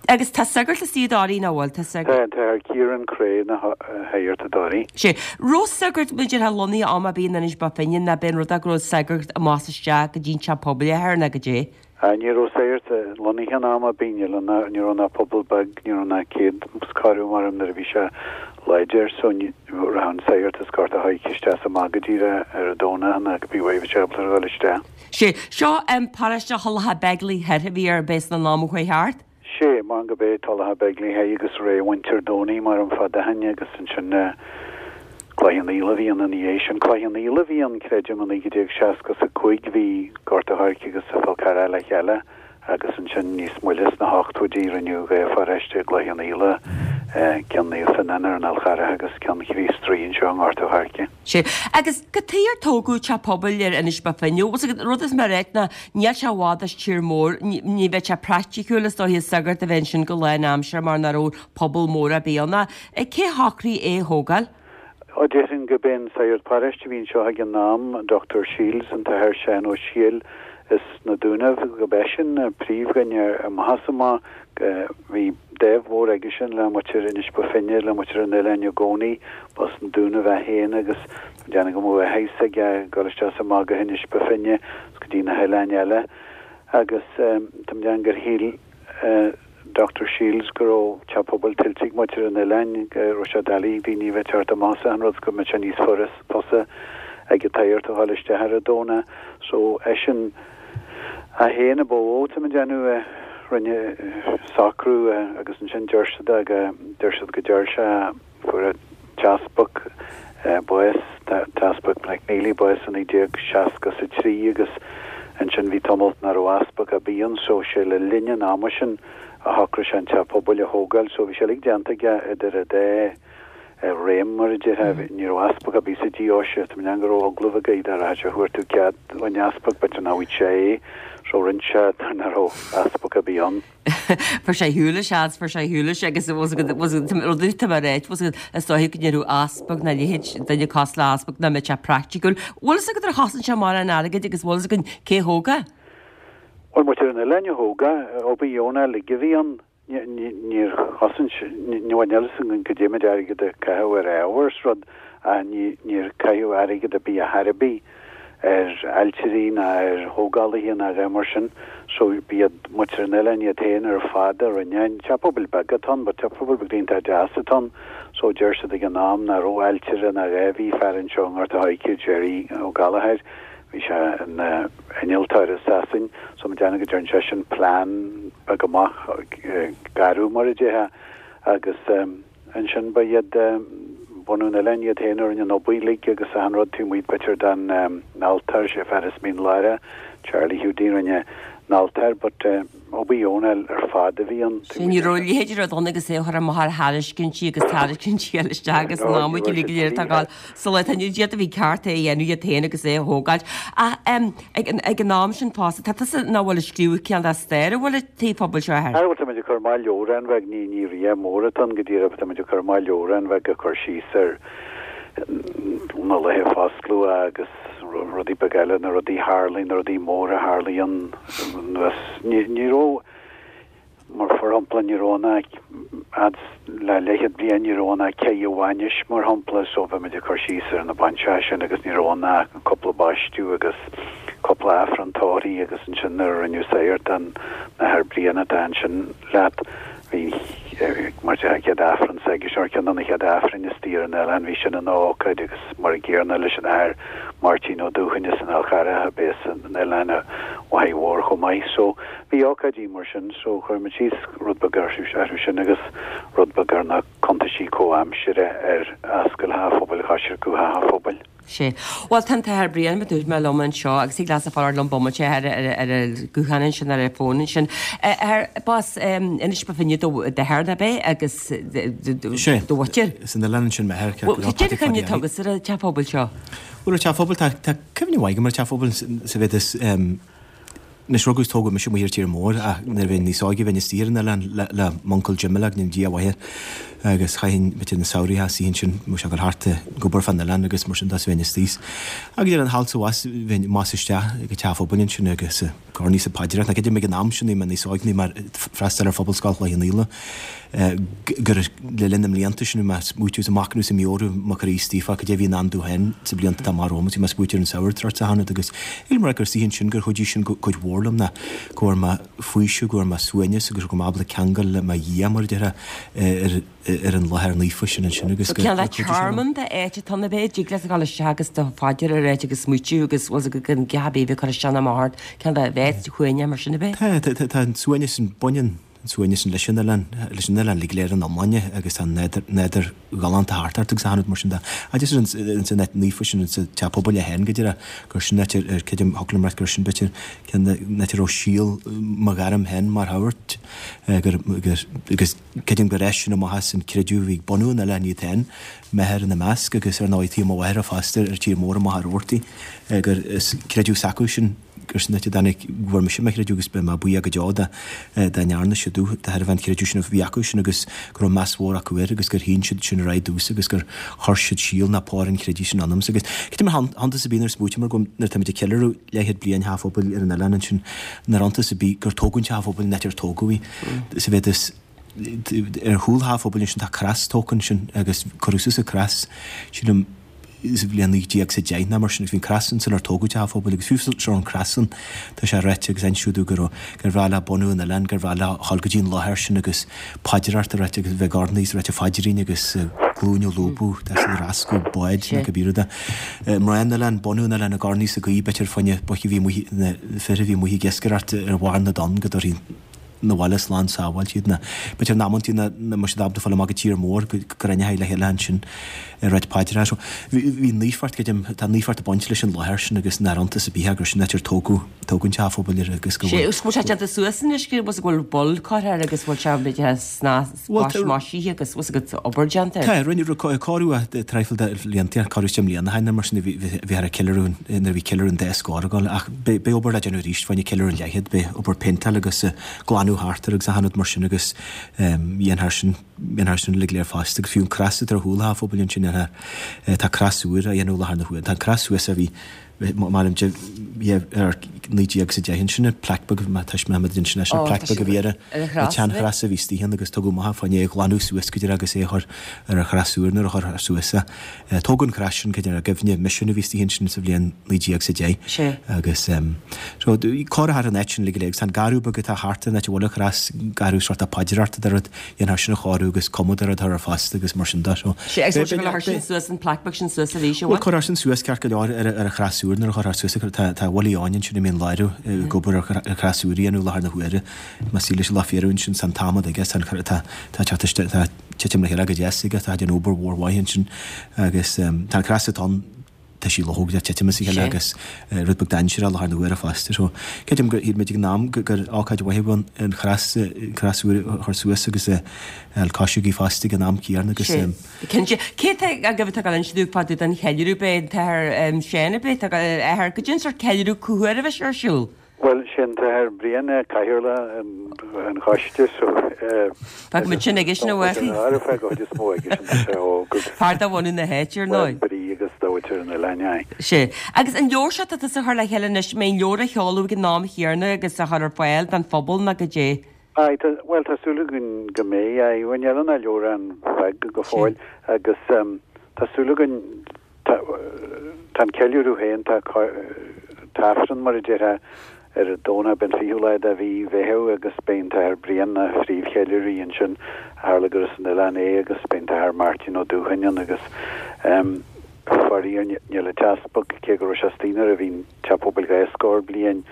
Agus tá sagart istigh i dToraigh, nach bhfuil? Tá sagart. Tá, an tAthair Ciarán Creagh ina shagart i dToraigh. Sé. Raibh sagart, b'fhéidir, lonnaithe am ar bith in Inis Bó Finne, nó b'é an rud é go raibh sagart amach is isteach go dtí an teach pobail, a athair, nó goidé? Ní raibh sagart lonnaithe in am ar bith, níl ann, ní raibh ach pobal beag, ní raibh ach céad is corradh mar nuair a bhí sé láidir so rachadh an sagart as Gort a' Choirce isteach is amach go díreach ar an Domhnach nó cibé uair a bhí sé ábalta a dhul isteach. Sé seo paróiste Thulacha Beigile Thoir a bhí ar bith san am a chuaigh thart? Sé, mar go b'é Tulacha Beigile Thoir agus ré mhuintir Dhomhnaigh mar an fada ó shin agus ansin Cloich Cheann Fhaola a bhí ann ina dhiaidh sin. Cloich Cheann Fhaola a bhí ann, creidim, i naoi déag seasca is a cúig bhí Gort a' Choirce agus Fál Carrach le chéile agus ansin níos moille sna hochtóidí rinneadh dhá pharóiste i gCloich Cheann Fhaola, ceann Naomh Fionán ar an Fhál Charrach agus ceann Chríost Rí anseo i nGort a' Choirce. Sea. Agus cad chuige ar tógadh teach pobail ar Inis Bó Finne? Bhfuil 's agat, rud is mé a ráit ná níl sé i bhfad as tír mór, ní bheadh sé praiticiúil is dóiche sagart a bheith ansin go lánaimseartha mar nach raibh pobal mór ar bith ann. Cé a shocraigh é a thógáil? Ó déarfainn go b'é an sagart paróiste a bhí anseo ag an am, an Dochtúir Shields, an tAthair Seán Ó Siadhail as na Dúnaibh, go b'eisean an príomhdhuine amach is amach. Bhí dáimh mhór aigesean le muintir Inis Bó Finne, le muintir an oileáin i gcónaí. B'as na Dúnaibh é féin agus déarfainn go mbeadh a fhios aige ag dul isteach is amach go hInis Bó Finne is go dtí na hoileáin eile. Agus tá mé ag déanamh gur shíl Dochtúir Shields go raibh teach pobail tuillte ag muintir an oileáin, go raibh sé doiligh ag daoine a bheith ag teacht amach as an rud, go mbeadh sé níos fusa ag an tsagart a dhul isteach ar an Domhnach. So, eisean é féin a ba mhó, tá mé ag déanamh, a rinne socrú agus ansin deir siad go, deir siad go deir sé, Fuair an t-easpag bás, an tEaspag McNeely, bás i naoi déag seasca is a trí agus ansin bhí tamalt nach raibh easpag ar bith ann so sé le linn an ama sin a shocraigh sé an teach pobail a thógáil so bhí sé uilig déanta aige idir an dá réim mar a déarfá. Ní raibh easpag ar bith sa deoise, tá mé ag déanamh go raibh agallamh aige dá rachadh sé a chuartú cead ón easpag b'fhéidir nach bhfaigheadh sé é so rinne sé nuair nach raibh easpag ar bith ann. Fuair sé shiúil seans, fuair sé shiúil agus rudaí tá mé ráit, is dóiche go raibh easpag ná leithéid duine cosúil le easpag nach mbeadh sé praiticiúil. Bhfuil fhios agat ar chosain sé mórán airgid agus bhfuil fhios againn cé thóg é? Bhuel, muintir an oileáin a thóg é, obair dheonach uilig a bhí ann. Níor chosain sé, níl a fhios againn goidé méid airgid a caitheadh ar ábhar is rud ach níor caitheadh airgead ar bith ar chor ar bith ar ailtirí ná ar thógálaithe ná a dhath mar sin so b'iad muintir an oileáin iad féin ar fad a rinne an teach pobail beag atá ann but teach pobail beag iontach deas atá ann so deir siad ag an am nach raibh ailtire ná a dhath bhí fear anseo i nGort a' Choirce Jerry Ó Gallchóir Bhí sé ina innealtóir i Sasain so mé ag déanamh go dtearn seisean plean beag amach garbh mar a déarfá agus ansin ba iad bunadh an oileáin iad féin a rinne an obair uilig agus achan rud taobh amuigh b'fhéidir den altóir sé fear as Mín Lárach Charlie Hiúdaí a rinne an altóir but obair dheonach ar fad a bhí ann. Sea, ní raibh a leithéid de rud ann agus é a chur amach ar thairiscintí agus tairiscintí eile isteach agus an am uilig go léir atá ag gabháil sa lá atá inniu. Iad a bhí ceart é a dhéanamh iad féin agus é a thógáil. Ach ag an ag an am sin fosta, tá tusa nach bhfuil ag scríobh cineál de stair an bhfuil an tigh phobail seo ar. Bhuel, tá muid ag cur amach leabhrán bheag, ní ní rí-mhór atá ann go díreach, tá muid ag cur amach leabhrán bheag ag cur síos ar na laetha foscladh agus rudaí beaga eile, na rudaí a tharlaigh, na rudaí móra a tharlaigh ann anuas. Ní, ní raibh, mar for shampla, ní raibh ann ach, fhad le leathchéad bliain, ní raibh ann ach ceithre bhainis, mar shampla, so bhí muid ag cur síos ar na bainseacha sin agus ní raibh ann ach cúpla baisteadh agus cúpla Aifreann tórraimh agus ansin nuair a rinneadh sagart den Athair Brian atá ansin leat, bhí Mar an chéad Aifreann s'aigesean, ar cheann de na chéad Aifrinn istigh ar an oileán, bhí sin ina ócáid agus mar an gcéanna leis an Athair Máirtín Ó Dúthain as an Fhál Carrach a b'é as an oileán a mháthair mhór chomh maith. So bhí ócáidí mar sin so chuir muid síos rud beag orthu sin agus rud beag ar na cuntaisí comhaimsire ar Ascaill Theach an Phobail Choisriceadh Theach an Phobail. Sea. Bhuel, tá an tAthair Brian, mar dúirt mé, liom anseo agus thig leatsa fanacht liom bomaite ar ar an guthán ansin, ar an bhfón ansin. Athair, b'as Inis Bó Finne do d'athair, ab é, agus do mhuintir? Sea, as an oileán ansin m'athair, ceart go leor. Bhuel, cad é an chuimhne atá agatsa ar an teach pobail seo? Bhuel, ar teach pobail, tá cuimhne mhaith agam ar teach pobail sa mhéid is Anois, rugadh is tógadh mise amuigh ar tír mór ach nuair a bheinn níos óige bheinn istigh ar an oileán le m'uncail Jim go ndéana Dia a mhaith air agus chaithfinn b'fhéidir na samhraí istigh ansin, bheadh sé ag dul thart ag obair fán oileán agus mar sin de is bheinn istigh. Agus ar an thall sa bhas bheinn amach is isteach ag an teach phobail ansin agus ag urnaí is ag paidreacht. Now creidim ag an am sin, bhí mé níos óige, bhí mé ag freastal ar Phobalscoil Chloich Cheann Fhaola gur le linn na mblianta sin bhí mé ag smaoitiú is ag machnamh is ag meabhrú mo chroí istigh fá cad é a bhí i ndán domh féin sa blianta atá amach romham agus bhí mé ag smaoitiú ar an samhradh tráth a tháinig agus shíl mé gur istigh ansin gur chuidigh sin cuid mhór liom ná go bhfuair mé faoiseamh, go bhfuair mé suaimhneas agus go raibh mé ábalta ceangal le mo Dhia mar a déarfá ar ar an láthair naofa sin ansin agus go Cineál de tearmann de áit atá ann ab é, dtig leat a dhul isteach agus do phaidir a ráit agus smaoitiú agus bhfuil 's agat gan gach ar bith a bheith ag cur isteach ná amach ort, cineál de bheith shuaimhneach mar sin ab é? Tá, tá, tá an suaimhneas sin, baineann an suaimhneas sin leis an oileán, leis an oileán uilig go léir ina iomláine agus tá an nádúr, nádúr galánta thart ort agus achan rud mar sin de. Agus ins an áit naofa sin, ins an teach pobail é féin go díreach, gur sin áit ar, ar creidim, thiocfadh liom a ráit gur sin b'fhéidir ceann de na áit a raibh síol mo ghairm féin mar shagart, gur, gur, agus creidim gur fhás sin amach as an creideamh a bhí ag bunú an oileáin iad féin, m'athair ina measc agus ar ndóigh taobh mo mháthara fosta ar tír mór amach ar Rabhartaigh, gur as creideamh s'acu sin, gur sin áit a dtáinig, go bhfuair mise mo chreideamh agus beidh mé buíoch go deo dá dá ndearna siad domh, de thairbhe an chreidimh sin a bhí acu sin agus go raibh meas mhór acu air agus gur shín siad sin ar aghaidh domhsa agus gur chuir siad síol ná pár an chreidimh sin ionamsa agus creidim nach iontas ar bith nuair a smaoitíomar go nuair atáimid ag ceiliúradh leathchéad bliain Theach an Phobail ar an oileán ansin nach iontas ar bith gur tógadh an Teach Phobail an áit ar tógadh í sa mhéid is ar chúl Theach an Phobail ansin tá crois tógtha ansin agus cuireadh suas an crois sílim sa bhliain naoi déag is a deich nó mar sin agus bhí an crois ansin sular tógadh Teach an Phobail agus fiú seo an crois san tá sé ráite agus inseadh gur gur bhreá le bunú an oileáin gur bhreá leo a ghabháil go dtí an láthair sin agus paidreacht a ráit agus bheith ag urnaí is ag ráit a phaidrín agus glúine a lúbadh tá siad ag rascadh báid nó cibé rud é. Mná an oileáin, bunú an oileáin ag urnaí is ag guí b'fhéidir fá choinne boicht a bhí amuigh na fir a bhí amuigh ag iascaireacht ar bharr na dtonn go dtabharfaí 'na bhaile slán sábháilte iad. Nó b'fhéidir in amantaí nach mbeadh siad ábalta fáil amach go tír mór go gcruinneofaí le chéile ansin ag ráit paidreacha. So bhí naofacht, creidim, tá naofacht ag baint leis an láthair sin agus nach iontas ar bith é gur sin áit ar tógadh, tógadh an teach phobail air agus go bhfuil. Sé, bhfuil sé déanta suas anois, go bhfuil bol curtha air agus bhfuil sé b'fhéidir sna maisithe agus bhfuil a gcuid obair déanta air? Tá, rinneadh cóiriú traidhfil de bhlianta, cóiriú deich mbliana ó shin nó mar sin a bhí bhí ceiliúradh nuair a bhí ceiliúradh an dá scór ag dul ach beidh obair le déanamh arís fá choinne ceiliúradh an leathchéad, beidh obair péinteáil agus glanadh thart air agus achan rud mar sin agus dhéanfar sin, dhéanfar sin uilig go léir fosta agus fiú an crois atá ar chúl an theach phobail ansin dhéanfar, tá crois úr á dhéanamh i láthair na huaire, tá an crois thuas a bhí mar an ar naoi déag is a deich ansin, an plaic beag, má tá mé ansin leis an plaic beag a bhí ar an tseanchrois a bhí istigh ann agus tugadh amach fá choinne é a ghlanadh suas go dtí agus é a chur ar an chrois úr nuair a chuirfear suas é. Tógadh an crois sin i gcuimhne misiún a bhí istigh ansin sa bhliain naoi déag is a deich agus so cóireofar an áit sin uilig go léir agus tá an garradh beag atá thart ar an áit a bhfuil an chrois, garradh sórt paidreoireachta de rud, dhéanfar sin a chóiriú agus cuma de rud a chur air fosta agus mar sin de. So Sé agus bhfuil sé go leor sin suas an plaic beag sin suas arís an bhfuil? Bhuel cuirfear sin suas ceart go leor ar ar an chrois úr nuair a chuirfear suas é. Tá tá Willie Eoin ansin i Mín Lárach ag obair ar ar chrois úr a dhéanamh i láthair na huaire. Más leis an lá fíorú ansin tá an t-adhmad aige tá an tá tá teacht isteach tá titim le chéile go deas aige tá déanamh obair mhór mhaith ansin agus tá an crois atá ann tá sí luchóg le titim as a chéile agus rud beag dainséarach i láthair na huaire fosta. So creidim gur shíl muid ag an am gur ócáid mhaith a bhí ann an chrois an crois úr a chur suas agus a fháil cois agaibh fosta ag an am céanna agus. Sé, cinnte. Cé atá agaibh atá ag dul a inse dúinn fá dtaobh den cheiliúradh? Beidh an tAthair Seán ar bith atá ag athair goidé an sórt ceiliúradh cá huair a bheidh sé ar siúl? Bhuel, sé an tAthair Brian é cathaoirleach an choiste so Fágfaidh muid sin aigesean a mhachaí. Fágfaidh an chuid is mó aigesean, tá sé óg agus. Fear de bhunadh na háite, ar ndóigh. Bhuel, brí agus dóite ar an oileán, aye. Sea. Agus an leabhar seo atá tusa a chur le chéile anois, an mbeidh an leabhar á sheoladh ag an am chéanna agus á chur ar fáil don phobal nó goidé? Aye, tá, bhuel, tá súil againn go mbeidh, aye. Bhuel, níl an leabhar an-bheag go fóill agus tá súil againn, tá, tá an ceiliúradh féin, tá, tá Aifreann mar a déarfá Ar an Domhnach beidh an fichiú lá de mhí Mheitheamh agus beidh an tAthair Brian ina phríomhcheiliúraí ansin, tharla gur as an oileán é agus beidh an tAthair Máirtín Ó Dúshain ann agus faraor níl an t-easpag, cé go raibh sé istigh nuair a bhí an Teach Pobail dhá scór bliain,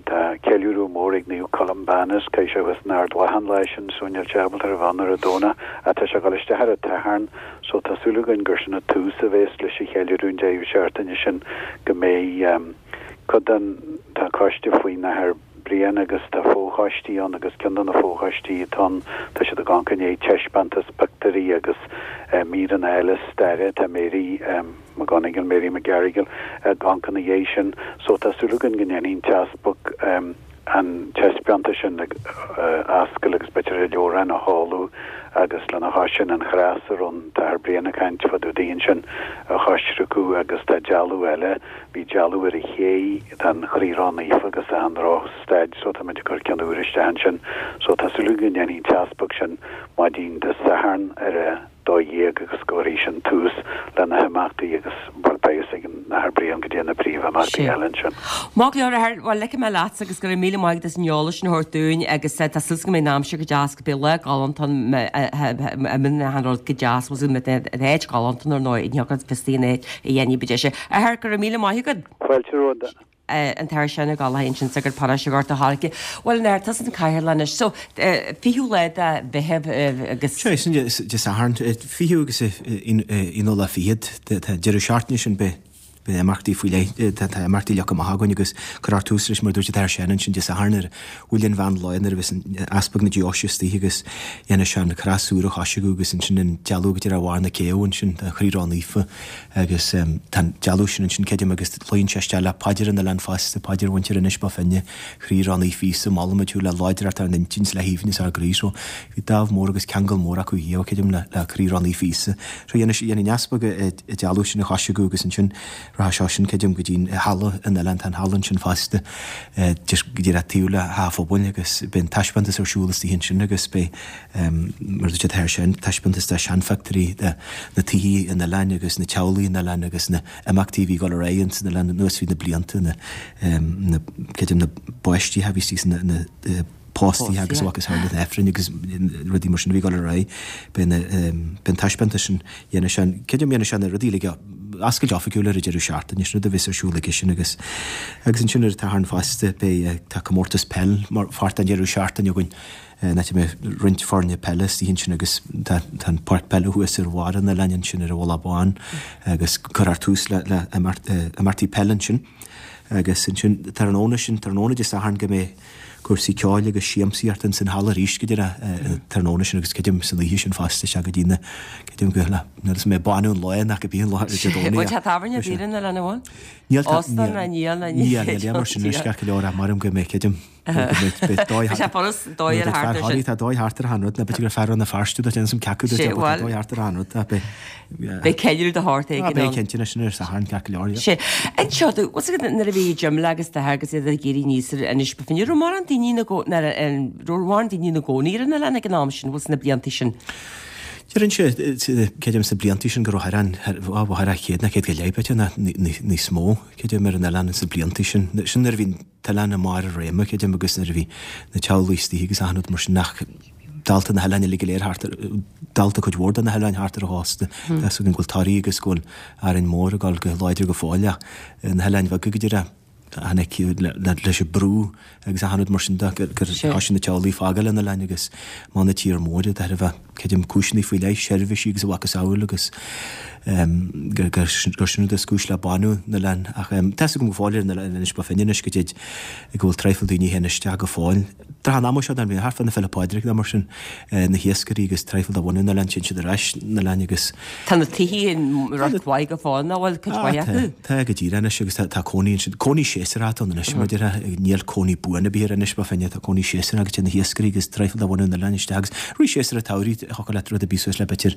tá ceiliúradh mór ag Naomh Columbanus, caithfidh sé thuas in Ard Mhacha an lá sin so níl sé ábalta a bheith ann ar an Domhnach ach tá sé ag dul isteach ar an tSatharn so tá súil againn gur sin an tús a bheas leis an cheiliúradh an deireadh seachtaine sin go mbeidh cuid den tá coiste faoin Athair Brian agus tá fochoistí ann agus ceann de na fochoistí atá ann tá siad ag amharc i ndiaidh taispeántas pictiúirí agus míreanna eile staire tá Mary McGonigal, Mary McGarrigle ag amharc ina dhiaidh sin so tá súil againn go ndéanfaidh an tEaspag an taispeántas sin a oscailt agus b'fhéidir an leabhrán a sheoladh agus lena chois sin an chros a raibh an tAthair Brian ag caint fá dtaobh di ansin a choisriceadh agus tá dealbh eile, bhí dealbh ar an ché den Chroí Ró-Naofa agus tá i ndroch-staid so táimid ag cur ceann úr isteach ansin so tá súil againn go ndéanfaidh an tEaspag sin maidin Dé Sathairn ar a dó dhéag agus go gcuirfidh sin tús le na himeachtaí agus bhuel beidh fhios ag an Athair Brian goidé na príomhimeachtaí eile ansin. Maith go leor, a Athair, bhuel ligfidh mé leatsa agus go raibh míle maith agat as an eolas sin a thabhairt dúinn agus tá súil go mbeidh an aimsir go deas go beidh lá galánta ann a an rud go deas was an áit galánta ar ndóigh ní thugad fios an áit a dhéanfaidh bid é sin. A Athair, go raibh míle maith agat. Fáilte romhat. an tAthair Seán Ó Gallchóir ansin sagart paróiste Ghort an Choirce. Bhuel an tusa an cathaoirleach anois. So fichiú lá de Mheitheamh agus. Sea, sin Dé Sathairn, fichiú agus aonú lá fichead, tá deireadh seachtaine sin beidh beidh imeachtaí faoi leith, tá imeachtaí leagtha amach againn agus cuirfear tús leis mar a dúirt an tAthair Seán ansin Dé Sathairn ar bhuille an mheán lae nuair a bheas an Easpag na Deoise istigh agus dhéanfaidh sé an chros úr a choisriceadh agus ansin an dealbh go dtí ar bharr na céibhe ansin, an Chroí Ró-Naofa. Agus tá an dealbh sin ansin, creidim, agus luíonn sé isteach le paidir an oileáin fosta, paidir mhuintir Inis Bó Finne, Chroí Ró-Naofa Íosa, molaimid thú le láidreacht ár n-intinn 's le haoibhneas ár gcroí. So bhí dáimh mór agus ceangal mór acu thiar, creidim, le le Croí Ró-Naofa Íosa. So dhéanfaidh dhéanfaidh an easpag an dealbh sin a choisriceadh agus ansin rachaidh sé sin, creidim, go dtí an halla an oileáin, tá an halla ansin fosta, just go díreach taobh le Teach an Phobail agus beidh an taispeántas ar siúl istigh ansin agus beidh, mar a dúirt an tAthair Seán, taispeántas de sheanphictiúirí de na tithe an oileáin agus na teaghlaigh an oileáin agus na imeachtaí a bhí ag dul ar aghaidh ins an oileán anuas fríd na blianta, na, na, creidim na báistí a bhí istigh sna, na póstaí agus a mhacasamhail na hAifrinn agus rudaí mar sin a bhí ag dul ar aghaidh. Beidh na, beidh an taispeántas sin, dhéanfaidh sé an, creidim dhéanfaidh sé na rudaí uilig a, oscailt oifigiúil ar an deireadh seachtaine, sin rud a bheas ar siúl aige sin agus, agus ansin ar an tSatharn fosta beidh, tá comórtas peil mar pháirt den deireadh seachtaine againn. An áit a mbeidh roinnt foirne peile istigh ansin agus tá an páirc peile thuas ar bharr an oileáin ansin ar an Mhullach Bán agus cuirfear tús le le imeachtaí peile ansin. Agus ansin tráthnóna sin, tráthnóna Dé Sathairn go mbeidh cúrsaí ceoil agus siamsaíochta ins an halla arís go díreach an tráthnóna sin agus creidim san oíche sin fosta isteach go dtí na, creidim go le, níl 'fhios mbeidh baineadh an lae nach cibé an lá ar Dé Domhnaigh. Bhfuil teach tábhairne ar bith ar an oileán an bhfuil? Níl tá, Óstán níl, ná níl ná níl, níl, níl mar sin anois ceart go leor ach maram go mbeidh creidim. Beidh sé foras dóigh ar thart ar sin. Tá dóigh thart ar achan rud, ná b'fhéidir gur fear Rann na Feirste duit déanamh ceapadh duit tá dóigh thart ar achan rud tá beidh. Beidh ceiliúradh de shórt éigin ann. Beidh cinnte anois ar Satharn ceart go leor. Sé. Anseo tú, bhfuil 's agat nuair a bhí Jim agus d'athair agus iad ag éirí aníos ar Inis Bó Finne, raibh mórán daoine ina raibh mórán daoine ina gcónaí ar an oileán ag an am sin, bhfuil sna blianta sin? Deirimse, creidim sna blianta sin go raibh thar an, thar a chéad nó céad go leith b'fhéidir nó níos mó, creidim ar an oileán sna blianta sin. Sin nuair a bhí an t-oileán i mbarr a réime, creidim, agus nuair a bhí na teaghlaigh istigh agus achan rud mar sin nach dálta na hoileáin uilig go léir thart ar, dálta cuid mhór de na hoileáin thart ar an chósta. Tá 's againn go bhfuil Toraigh agus go bhfuil Árainn Mhór ag dul go láidir go fóill ach na hoileáin bheaga go díreach, tháinig leis an brú agus achan rud mar sin de gur thoisigh na teaghlaigh ag fágáil an oileáin agus amach na tír móire de thairbhe, creidim, cúiseanna faoi leith, seirbhísí agus a mhacasamhail agus gur sin rud is cúis le bánú na n-oileán. Ach tá 'fhios agam go fóill ar an oileán Inis Bó Finne anois go dtéid go bhfuil traidhfil daoine a théann isteach go fóill. Tráth an ama seo den bhliain, thart fá na Féile Pádraig nó mar sin, na hiascairí agus traidhfil de bhunadh na n-oileán, téann siad ar ais na n-oileáin agus. Tá na tithe i riocht mhaith go fóill, nach bhfuil cuid mhaith acu? Tá, tá go díreach anois agus tá cónaí ansin, cónaí séasúrach atá ann anois mar a déarfá, níl cónaí buan ar bith ar Inis Bó Finne, tá cónaí séasúrach agus téann na hiascairí agus traidhfil de bhunadh na n-oileán isteach agus rith séasúr an tsamhraidh, thiocfadh leat rud ar bith suas le b'fhéidir,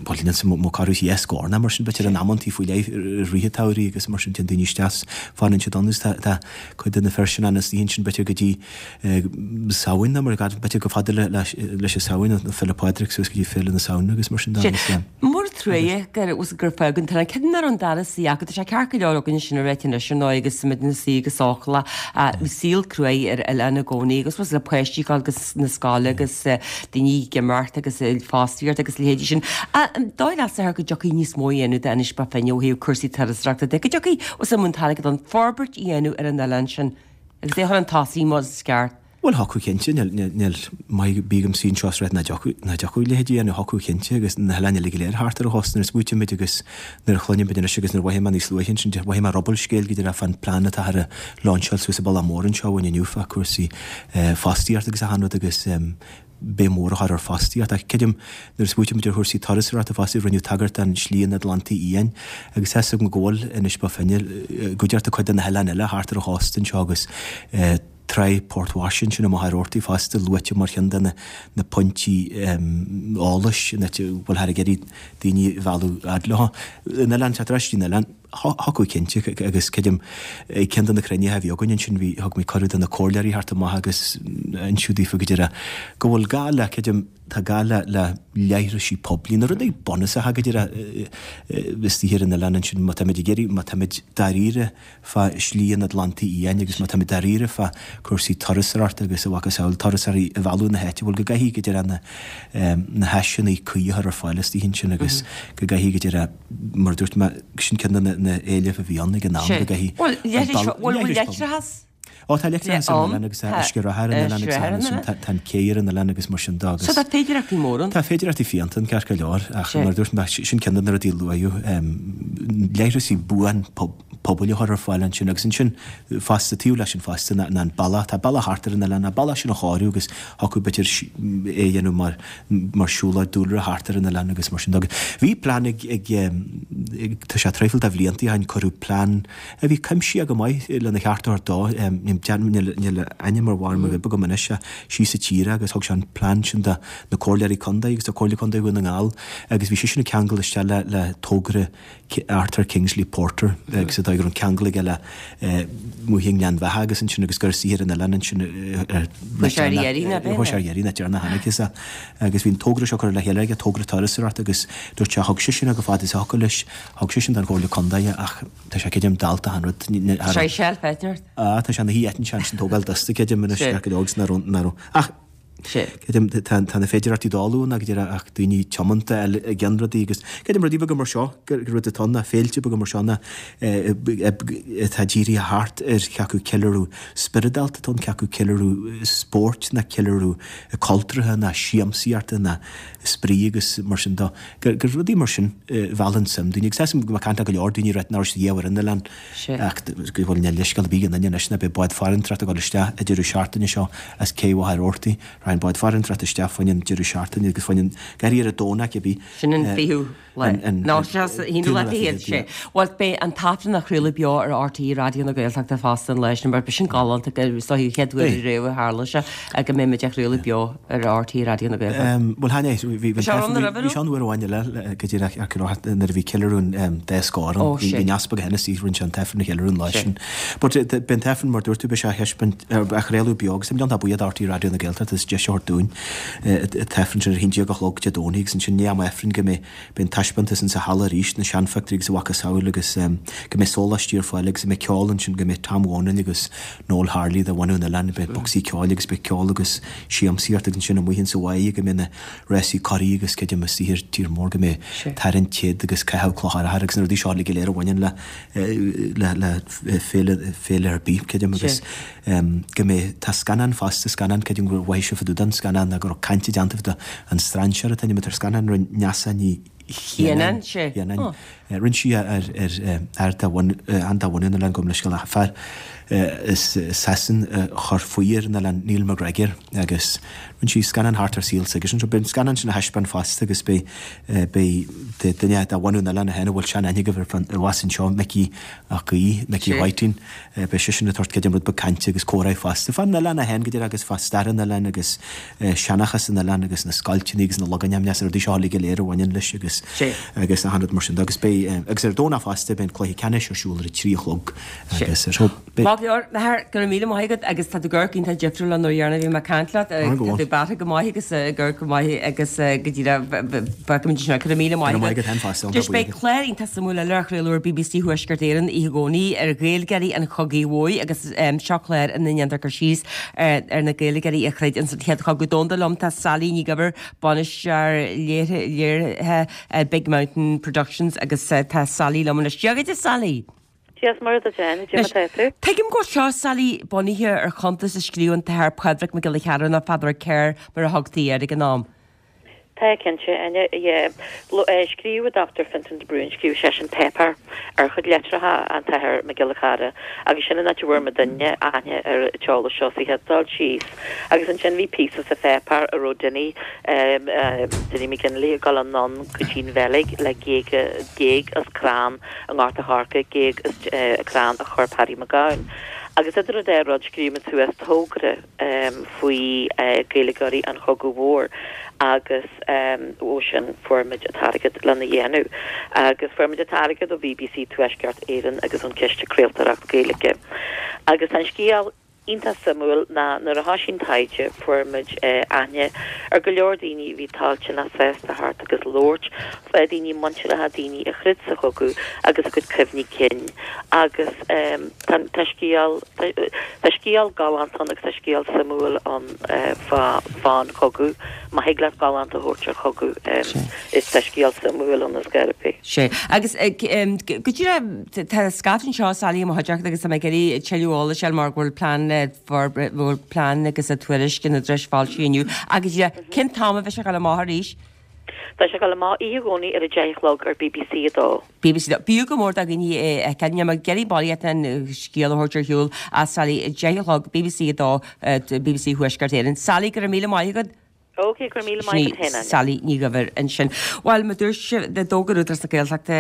bhuel níl 'fhios a'm mo corradh dhá scór nó mar sin b'fhéidir in amantaí faoi leith i rith an tsamhraidh agus mar sin téann daoine isteach 's fanann siad ann agus tá, tá cuid de na fir sin ann istigh ansin b'fhéidir go dtí Samhain nó mar a b'fhéidir chomh fada leis an Samhain, nó Féile Pádraig suas go dtí Féile na Samhna agus mar sin de agus. Mór an truaighe gur gur fágadh an t-oileán. Cé nach raibh an dara suí acu, tá sé ceart go leor againne sin a ráit anois ar ndóigh. ndóigh agus muid ina suí go sócúlach. Bhí saol cruaidh ar oileán i gcónaí agus was le páistí ag dul go na scoile agus daoine ag imeacht agus fostaíocht agus leithéidí sin. An dóigh leatsa go dtiocfaidh níos mó a dhéanamh d'Inis Bó Finne ó thaobh cúrsaí turasóireachta de, go dtiocfaidh os an t-airgead an forbairt a dhéanamh ar an oileán sin agus é a chur chun tosaigh mar is ceart. Bhuel thiocfadh cinnte, níl níl maith bí agam suí anseo is rá nach dtiocfadh nach dtiocfadh leithéidí a dhéanamh, thiocfadh cinnte agus na hoileáin uilig go léir thart ar an chósta nuair a smaoitímid agus nuair a chluinimid anois agus nuair a mhothaigh mé níos luaithe ansin, mhothaigh mé ruball scéil go díreach fán plean atá ar a lainseáil suas an Bealach Mór anseo uainn inniu fá cúrsaí fostaíochta agus achan rud agus béim mhór a chur ar fostaíocht. Ach creidim nuair a smaoitímid ar chúrsaí turasóireachta fosta rinneadh tagairt don Slí an Atlantaigh Fhiáin agus tá 'fhios agam go bhfuil Inis Bó Finne go dearta cuid de na hoileáin eile thart ar an chósta anseo agus Tráigh Port Washington ansin i Machaire Rabhartaigh fosta luaite mar cheann de na pointí eolais in áit a bhfuil thar ag iarraidh daoine a mhealladh fhad leo. An oileán, tá tar éis an oileán, thiocfadh cinnte agus creidim ag ceann de na cruinnithe a bhí againn ansin bhí, thug mé cuireadh do na comhairleoirí theacht amach agus insiú daofa go deireadh go bhfuil gá le, creidim, tá gá le le leithrisí poiblí, na rudaí bunúsacha go deireadh istigh ar an oileán ansin má táimid ag iarraidh, má táimid dáiríre fá Shlí an Atlantaigh Fhiáin agus má táimid dáiríre fá cúrsaí turasóireachta agus a mhacasamhail turasóirí a mhealladh na háite, bhuel go gcaithfidh go deireadh na na háiseanna cuí a chur ar fáil istigh ansin agus go gcaithfidh go deireadh, mar a dúirt mé, sin ceann de na na éilimh a bhí ann ag an am, go gcaithfidh Bhuel, leithreas. Ó tá leictreachas ar an oileán agus tá uisce reatha ar an oileán agus tá ansin tá an cé ar an oileán agus mar sin de agus. So tá féidireachtaí móra ann. Tá féidireachtaí fiánta ann ceart go leor ach mar a dúirt mé sin ceann de na rudaí a luaíodh, leithreasaí buan pobail a chur ar fáil ansin agus ansin fosta taobh leis sin fosta ná an bealach, tá bealach thart ar an oileán, an bealach sin a chóiriú agus thiocfadh b'fhéidir é a dhéanamh mar mar siúlóid dúlra thart ar an oileán agus mar sin de. Bhí plean ag ag tá sé traidhfil de bhlianta ó shin cuireadh plean a bhí cuimsitheach go maith lena cheart a thabhairt dó. Níl a ainm ar bharr mo ghoib agam anois, síos sa tír agus thug sé an plean sin do na comhairleoirí contae agus do Chomhairle Contae Dhún na nGall agus bhí seisean ag ceangal isteach le le togra Arthur Kingsley Porter agus a dóigh go raibh an ceangal aige le Muigh i nGleann Bheatha agus ansin agus gur saothar an oileáin ansin ar Chuaigh sé ar iarraidh na deireanach tháinig is agus bhí an togra seo curtha le chéile aige, togra turasóireachta agus dúirt sé thug seisean go fada is a thiocfadh leis, thug seisean don Chomhairle Contae ach tá sé creidim dallta an rud. Sé seal féidir. Ah, tá sé ina shuí eitinn seans an tógáil dusta creidim anois Sé. go leor agus nach raibh nach raibh ach Sé. creidim tá tá na féidireachtaí dall ann ag deireadh ach daoine tiomanta eile ag déanamh rudaí agus creidim rudaí beaga mar seo gur gur rud atá ann ná féilte beaga mar seo ná eh, atá dírithe thart ar cé acu ceiliúradh spioradálta atá ann cé acu ceiliúradh spóirt ná ceiliúradh cultúrtha ná siamsaíochta ná spraoi agus mar sin de gur gur rudaí mar sin a mheallann suim daoine agus tá go caint go leor daoine reit nach raibh siad riamh ar an oileán Sé. ach go bhfuil níl leithscéal ar bith ag aon duine anois ná beidh bád farantóireachta ag dul isteach an deireadh seachtaine seo as cé Mhachaire Rabhartaigh Raghaidh an bád farantóireachta isteach fá choinne an deireadh seachtaine agus fá choinne an garraí ar an Domhnach cibé Sin an fichiú lá. an- an- Nó sé an haonú lá fichead, sé. Bhuel, beidh an tAifreann á chraoladh beo ar RTÉ Raidió na Gaeltachta fosta an lá sin, mar b'shin galánta go is dóigh an chéad uair Beidh. riamh a tharla sé go mbeidh muid á chraoladh beo ar RTÉ Raidió na Gaeltachta. Bhuel, tháinig, bhí Bhí sé ann roimhe, bhí sé ann uair amháin eile go díreach ar Cill nuair a bhí ceiliúradh an dá scór ann. Ó, Bhí sé. bhí an easpag Hennessy rinne sé an t-aifreann a cheiliúradh an lá Sé. sin. But beidh an t-aifreann mar dúirt tú beidh sé á thaispeáint á chraoladh beo agus táim buíoch d'RTÉ Raidió na Gaeltachta as deis a thabhairt dúinn an t-aifreann sin ar a haon déag a chlog Dé Domhnaigh agus ansin i ndiaidh am Aifrinn go mbeidh beidh an taispeántas insa halla arís, na seanphictiúirí agus a mhacasamhail agus go mbeidh sóláistí ar fáil agus go mbeidh ceol ansin, go mbeidh Tom Dhónaill agus Noel Harley de bhunadh an oileáin, beidh bocsaí ceoil agus beidh ceol agus siamsaíocht agus ansin amuigh insa bháigh go mbeidh na rásaí curaí agus creidim istigh ar tír mór go mbeidh tarraingt téad agus caitheamh cloch arthair agus na rudaí seo uilig go léir a bhaineann le le le féile féile ar bith creidim agus go mbeidh tá scannán fosta scannán creidim gur mhaith sibh fá dtaobh den scannán ná go raibh caint déanta fá an strainséir atá ainm ar scannán rinne Neasa Ní Chianáin, sé. Chianáin. Rinne sí ar ar ar de bhun an de bhunadh an oileáin gabh mo leithscéal ach fear as Sasain a chuir faoi ar an oileán Neil McGregor agus rinne sí scannán thart ar saol s'aigesean. So beidh an scannán sin á thaispeáint fosta agus beidh beidh duine de bhunadh an oileáin féin a bhfuil sean-aithne agaibh air i bhfas anseo Micí Mac Aoidh, Micí Whiting. Beidh seisean ag tabhairt creidim rud beag cainte agus comhrá fosta fán oileán é féin go díreach agus fá stair an oileáin agus seanchas an oileáin agus na scoilteanna agus na logainmneacha agus na rudaí seo uilig go léir a bhaineann leis agus agus agus achan rud mar sin de agus beidh agus ar an Domhnach fosta beidh an cluiche ceannais ar siúl ar a trí a chlog agus ar beidh Maith go leor, Maher, go raibh míle maith agat agus tá tú ag amharc iontach difriúil ón uair dheireanach a bhí mé ag caint leat, tá tú beatha go maith agus ag amharc go maith agus go díreach feicimid ansin go raibh míle maith agat. Just beidh clár iontach suimiúil eile á chraoladh ar BBC Thuaisceart Éireann oíche Dhomhnaigh ar Ghaeilgeoirí an Chogaidh Mhóir agus seo clár ina ndéantar cur síos ar na Gaeilgeoirí a throid ins an Chéad Chogadh Domhanda. Liom tá Sally Ní Dhuibhir, bainisteoir léirithe Big Mountain Productions agus tá Sally liom anois. Dia dhuit a Sally! Dia is Muire duit Áine, cad é mar atá tú? Tuigim go bhfuil seo, Sally, bunaithe ar chuntas a scríobh an tAthair Pádraig Mac Giolla Chearra nó Father Kerr mar a thugtaí air ag an am. Tá, cinnte, Áine, yeah. Scríobh Doctor Fintan de Brún, scríobh seisean páipéar ar chuid litreacha an tAthair Mac Giolla Chearra agus sin an áit a bhfuair muidinne aithne ar an t-eolas seo sa chéad dul síos. Agus ansin bhí píosa sa pháipéar a raibh Dinny, Dinny McGinley ag dul anonn go dtí'n Bheilg le géaga, géag as crann i nGort a' Choirce, géag as crann a chuir Paddy Mac Gabhann. Agus idir an dá rud scríobh muid suas togra faoi Gaeilgeoirí an Chogaidh Mhóir agus ó sin fuair muid an t-airgead lena dhéanamh. Agus fuair muid an t-airgead ó BBC Tuaisceart Éireann agus ón Chiste Craoltóireacht Gaeilge. Agus tá an scéal iontach suimiúil ná nuair a thoisigh an taighde fuair muid aithne ar go leor daoine a bhí toilteanach sásta theacht agus labhairt fá daoine muinteartha, daoine a throid sa chogadh agus a gcuid cuimhní cinn agus tá tá scéal tá scéal galánta ann agus tá scéal suimiúil ann fá fán chogadh. Má thig leat galánta a thabhairt ar chogadh is tá scéal suimiúil ann is gá ar bith. Sea. Agus go díreach, tá scaifte anseo, Sally, i mo chuideachta agus tá mé ag iarraidh tuilleadh eolais a fháil mar go bhfuil plean le bhfuil plean agus a tuairisc an Údaráis foilsithe inniu. Agus cén t-am a bheidh sé ag dul amach arís? Tá sé ag dul amach oíche Dhomhnaigh ar a deich a chlog ar BBC a dó. BBC a dó. B'fhiú go mór do dhaoine é a fheiceáil. Níl mé ag iarraidh barraíocht den scéal a thabhairt ar shiúl ach Sally, deich a chlog, BBC a dó, BBC Thuaisceart Éireann. Sally, go raibh míle maith agat. Ok, go raibh míle maith agat féin, Áine. Sally Ní Dhuibhir ansin. Bhuel, mar dúirt sibh, d'fhógair Údarás na Gaeltachta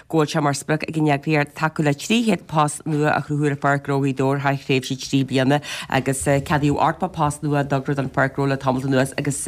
go bhfuil sé mar sprioc ag an eagraíocht tacú le trí chéad post nua a chruthú ar Pháirc Ghnó Ghaoth Dobhair thar thréimhse trí bliana agus ceadaíodh ochtó post nua i dtogra don Pháirc Ghnó le tamalt anuas agus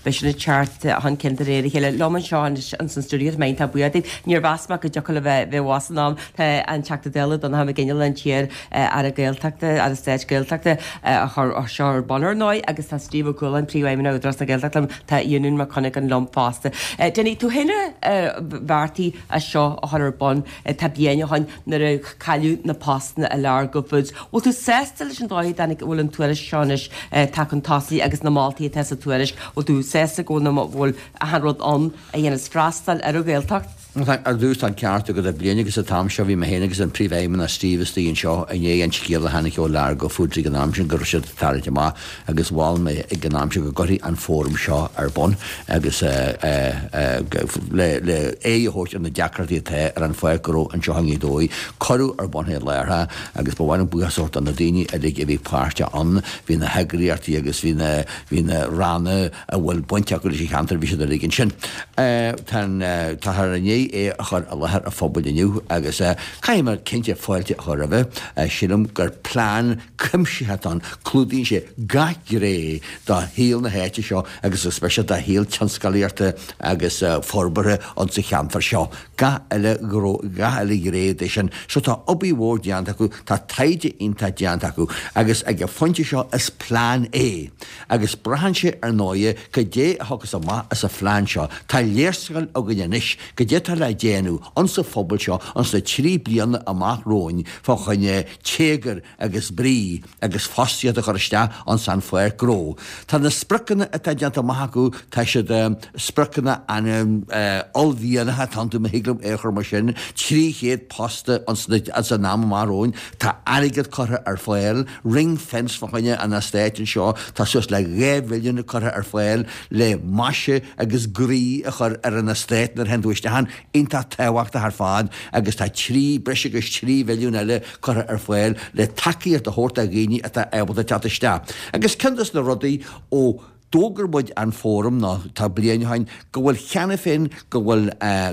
beidh sin ag teacht chun cinn de réir a chéile. Liom anseo anois ins an stiúideo, tá mé iontach buíoch daoibh. Níor mheas mé go dtiocfadh le bheith abhus in am. Tá an Teachta Dála Donnchadh Mac Fhionnghaile, an t-iar Aire Gaeltachta, Aire Stáit Gaeltachta, a chuir seo ar bun ar ndóigh agus tá Steve Ó Cualáin, Príomhfheidhmeannach Údarás na Gaeltachta liom, tá Eunan Mac Cuinneagáin liom fosta. Dinny, tú féin a bheartaigh é seo a chur ar bun tá bliain ó shoin nuair a cailleadh na postanna i Largo Foods. Bhfuil tú sásta leis an dóigh a dtáinig, a bhfuil an tuairisc seo anois tagtha chun tosaigh agus na moltaí atá sa tuairisc, bhfuil tú sásta go bhfuil achan rud ann a dhéanas freastal ar an Ghaeltacht? Ar dtús, tá an ceart agat. Bliain agus an t-am seo bhí mé féin agus an Príomhfheidhmeannach Steve istigh anseo i ndiaidh an scéal a tháinig ó Largo Foods ag an am sin go raibh siad ag tarraingt amach agus mhol mé ag an am sin go gcuirfí an fóram seo ar bun agus le le aghaidh a thabhairt ar na deacrachtaí atá ar an pháirc ghnó anseo i nGaoth Dobhair. Cuireadh ar bun é láithreach agus ba mhaith liom buíochas a thabhairt do na daoine uilig a bhí páirteach ann. Bhí na heagraíochtaí agus bhí na bhí na ranna a bhfuil baint acu leis an cheantar, bhí siad uilig ansin. Tá an, táthar i ndiaidh é a chur i láthair an phobail inniu agus caithfidh mé cinnte fáilte a chur roimhe. Sílim gur plean cuimsitheach atá ann, clúdaíonn sé gach gné de shaol na háite seo agus go speisialta de shaol tionscalaíochta agus forbartha insa cheantar seo. Gach uile ghnó, gach uile ghné de sin. So tá obair mhór déanta acu, tá taighde iontach déanta acu agus ag an phointe seo is plean é. Agus braitheann sé ar ndóighe cad é a thiocfas amach as an phlean seo. Tá léarscáil againn anois cad é atá le déanamh insa phobal seo ins na trí bliana amach romhainn fá choinne téagar agus brí agus fostaíocht a chur isteach ins an pháirc ghnó. Tá na spriocanna atá déanta amach acu, tá siad spriocanna an-uaillmhianacha atá iontu, má thig liom é a chur mar sin, trí chéad post ins an am amach romhainn. Tá airgead curtha ar fáil. Ring fence fá choinne an eastáit anseo, tá suas le dhá mhilliún curtha ar fáil le maise agus groí a chur ar an eastát nuair a théann tú isteach ann, iontach tábhachtach ar fad, agus tá trí, breis agus trí mhilliún eile curtha ar fáil le tacaíocht a thabhairt do dhaoine atá ábalta teacht isteach. Agus ceann des na rudaí ó d'fhógair muid an fóram nó tá bliain ó shin go bhfuil cheana féin go bhfuil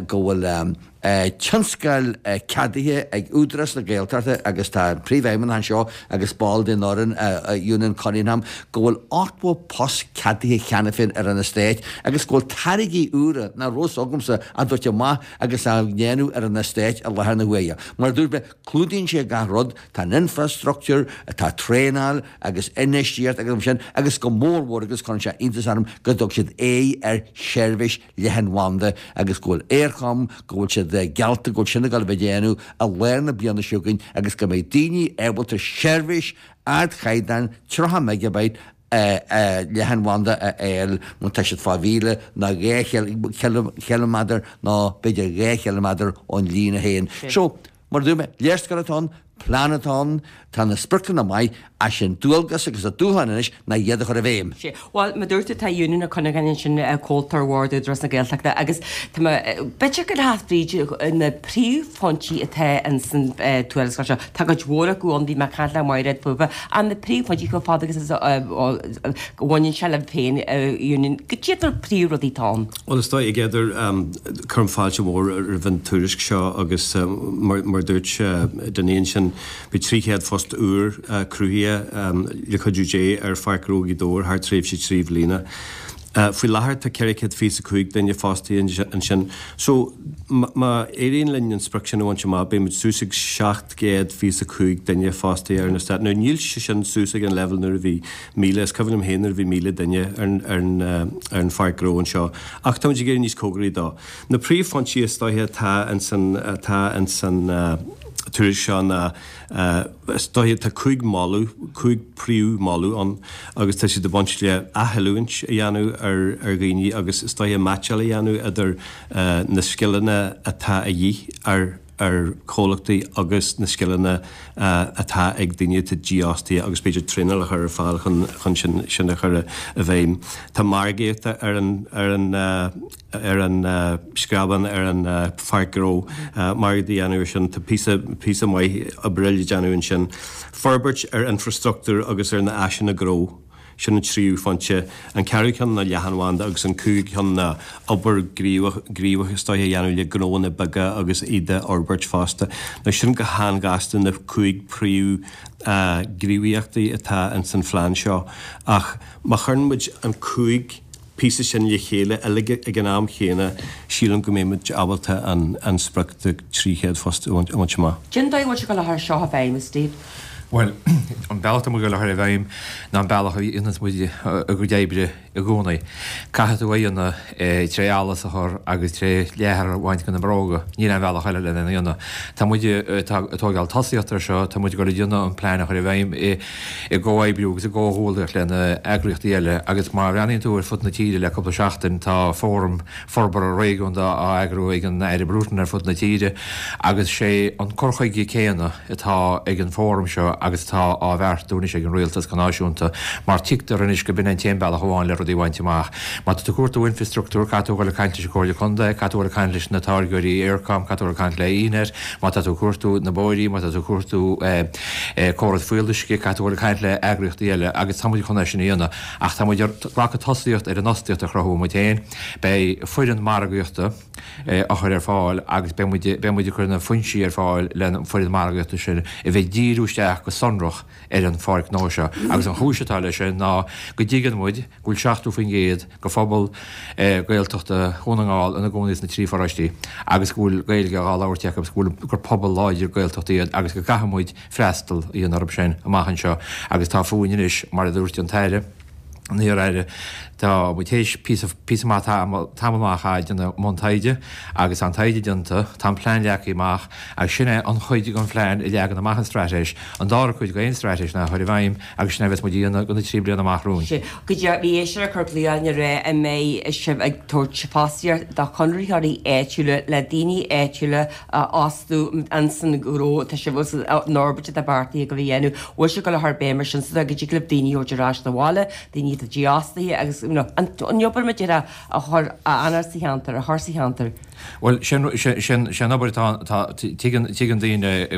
go bhfuil tionscal ceadaithe ag Údarás na Gaeltachta agus tá an Príomhfheidhmeannach anseo agus ball den fhoireann Eunan Cunningham go bhfuil ochtó post ceadaithe cheana féin ar an eastát agus go bhfuil táirgí úra nach raibh fhios agamsa á dtabhairt amach agus á ndéanamh ar an eastát i láthair na huaire. Mar a dúirt mé, clúdaíonn sé gach rud, tá an infrastructúr, tá traenáil agus infheistíocht agus mar sin agus go mór mhór agus cuireann sé iontas orm go dtug siad aghaidh ar sheirbhís leathanbhanda agus go bhfuil Eircom, go bhfuil siad geallta go bhfuil sin ag dul a bheith déanamh i lár na bliana seo chugainn agus go mbeidh daoine ábalta seirbhís ardchaighdeáin tríocha megabyte leathanbhanda a fháil má tá siad fá mhíle nó dhá chiliméadar nó b'fhéidir dhá chiliméadar ón líne féin. So, mar a dúirt mé, léarscáil atá ann, plean atá ann, tá na spriocanna maith, ach sé an dualgas agus an dúshlán anois ná iad a chur i bhfeidhm. Sea. Bhuel, mar a dúirt tú, tá Eunan Ó Cuinneagáin ansin, comhalta ar Bhord Údarás na Gaeltachta agus tá mé, b'fhéidir go rachadh fríd na príomhphointí atá ins an tuarascáil seo. Tá cuid mhór acu ann, bhí mé ag caint le Mairéad fúthu, ach na príomhphointí chomh fada agus a bhaineann sé libh féin, Eunan, cad iad na príomhrudaí atá ann? Bhuel, is dóigh, a Gheidir, cuirim fáilte mhór roimh an tuairisc seo agus mar a dúirt Dinny ansin, beidh trí chéad post úr cruthaithe le cuidiú Dé ar Pháirc Ghnó Ghaoth Dobhair thar tréimhse trí bhliana. Faoi láthair tá ceithre chéad fiche is a cúig duine fostaithe ansin. So, má éiríonn linn an sprioc sin a bhaint amach, beidh muid suas ag seacht gcéad fiche is a cúig duine fostaithe ar an eastát. Now, níl sé sin suas ag an leibhéal nuair a bhí míle, is cuimhin liom féin nuair a bhí míle duine ar an pháirc ghnó anseo, ach tá muid ag éirí níos cóngaraí dó. Na príomhphointí is dóiche atá insan, atá insan tuairisc seo ná, is dóiche, tá cúig mholadh, cúig príomh-mholadh ann agus tá siad ag baint le athoiliúint a dhéanamh ar ar dhaoine agus is dóiche meaitseáil a dhéanamh idir na scileanna atá a dhíth ar ar chomhlachtaí agus na scileanna atá ag daoine atá dífhostaithe agus b'fhéidir traenáil a chur ar fáil chun chun sin sin a chur i bhfeidhm. Tá margaíocht ar an ar an ar an screabán ar an pháirc ghnó, margadh a dhéanamh ar sin, tá píosa, píosa maith oibre le déanamh ansin. Forbairt ar infrastruchtúr agus ar na áiseanna gnó, sin an tríú phointe. An ceathrú ceann ná leathanbhanda agus an cúigiú ceann ná obair ghníomhach, ghníomhach is dóiche a dhéanamh le gnóanna beaga agus iad a fhorbairt fosta. Now sin go han-ghasta na cúig príomh ghníomhaíochtaí atá ins an phlean seo ach má chuireann muid an cúig píosa sin le chéile uilig ag an am chéanna, sílim go mbeidh muid ábalta an sprioc de trí chéad phost a bhaint amach. Cén dóigh a bhfuil sibh ag dul a chur seo i bhfeidhm, a Steve? Bhuel, an bealach atá muid ag dul a chur i bhfeidhm ná an bealach a dhéananns muid a gcuid oibre i gcónaí. Caithfidh tú é a dhéanamh tré allas a chur agus tré leathar a bhaint de na bróga. Níl aon bhealach eile lena dhéanamh. Tá muid ag tógáil tosaíocht ar seo, tá muid ag dul a dhéanamh an plean a chur i bhfeidhm i i gcomhoibriú agus i gcomhghuaillíocht le na eagraíochtaí eile agus má bhreathnaíonn tú ar fud na tíre le cúpla seachtain tá fóram forbartha réigiúnda á eagrú ag an Aire Bruton ar fud na tíre agus sé an cur chuige céanna atá ag an bhfóram seo agus atá á bheartú anois ag an Rialtas go náisiúnta mar tuigtear anois go b'in an t-aon bealach amháin le rudaí a bhaint amach. Má tá tú ag cuartú infreastruchtúr caithfidh tú a dhul ag caint leis an Chomhairle Contae, caithfidh tú a dhul ag caint leis na táirgeoirí Eircom, caithfidh tú a dhul ag caint le ENet, má tá tú ag cuartú na bóithrí, má tá tú ag cuartú córas fuíolluisce, caithfidh tú a dhul ag caint le eagraíochtaí eile agus tá muid chun é sin a dhéanamh. Ach tá muid ag glacadh tosaíocht ar an fhostaíocht a chruthú muid féin. Beidh foireann margaíochta á chur ar fáil agus beidh muid, beidh muid ag cur na foinsí ar fáil len foireann margaíochta sin a bheith ag díriú isteach go sonrach ar an pháirc ghnó seo. Agus an chúis atá leis sin ná go dtuigeann muid go bhfuil seachtó faoin gcéad de phobal Gaeltachta Dhún na nGall ina gcónaí sna trí pharóistí agus go bhfuil Gaeilge á labhairt acu agus go bhfuil gur pobal láidir Gaeltachta iad agus go gcaithfidh muid freastal a dhéanamh orthu sin amach anseo agus tá fúinn anois, mar a dúirt an tAire, an iar-Aire, tá muid théis píosa, píosa maith tamall, tamall maith a dhéanamh i mbun taighde agus tá an taighde déanta, tá an plean leagtha amach agus sin é an chuid den phlean a leagann amach an straitéis. An dara cuid d'aon straitéis ná a chur i bhfeidhm agus sin é a bheas muid a dhéanamh do na trí bliana amach romhainn. Sea, go dtí bhí éisteoir ag cur glaoch orainn ag rá an mbeidh sibh ag tabhairt fostaíocht do chonraitheoirí áitiúla le daoine áitiúla a fhostú ins an ghnó atá sibh an fhorbairt atá beartaithe agaibh a dhéanamh. Bhfuil sibh ag dul a chur béim ar sin so go dtig libh daoine a thabhairt ar ais 'na bhaile, daoine atá atá dífhostaithe agus you know, an an obair mar a a chur a anar sa cheantar, a chur sa cheantar. Bhuel, sin sin sin obair tá tá tuigeann tuigeann daoine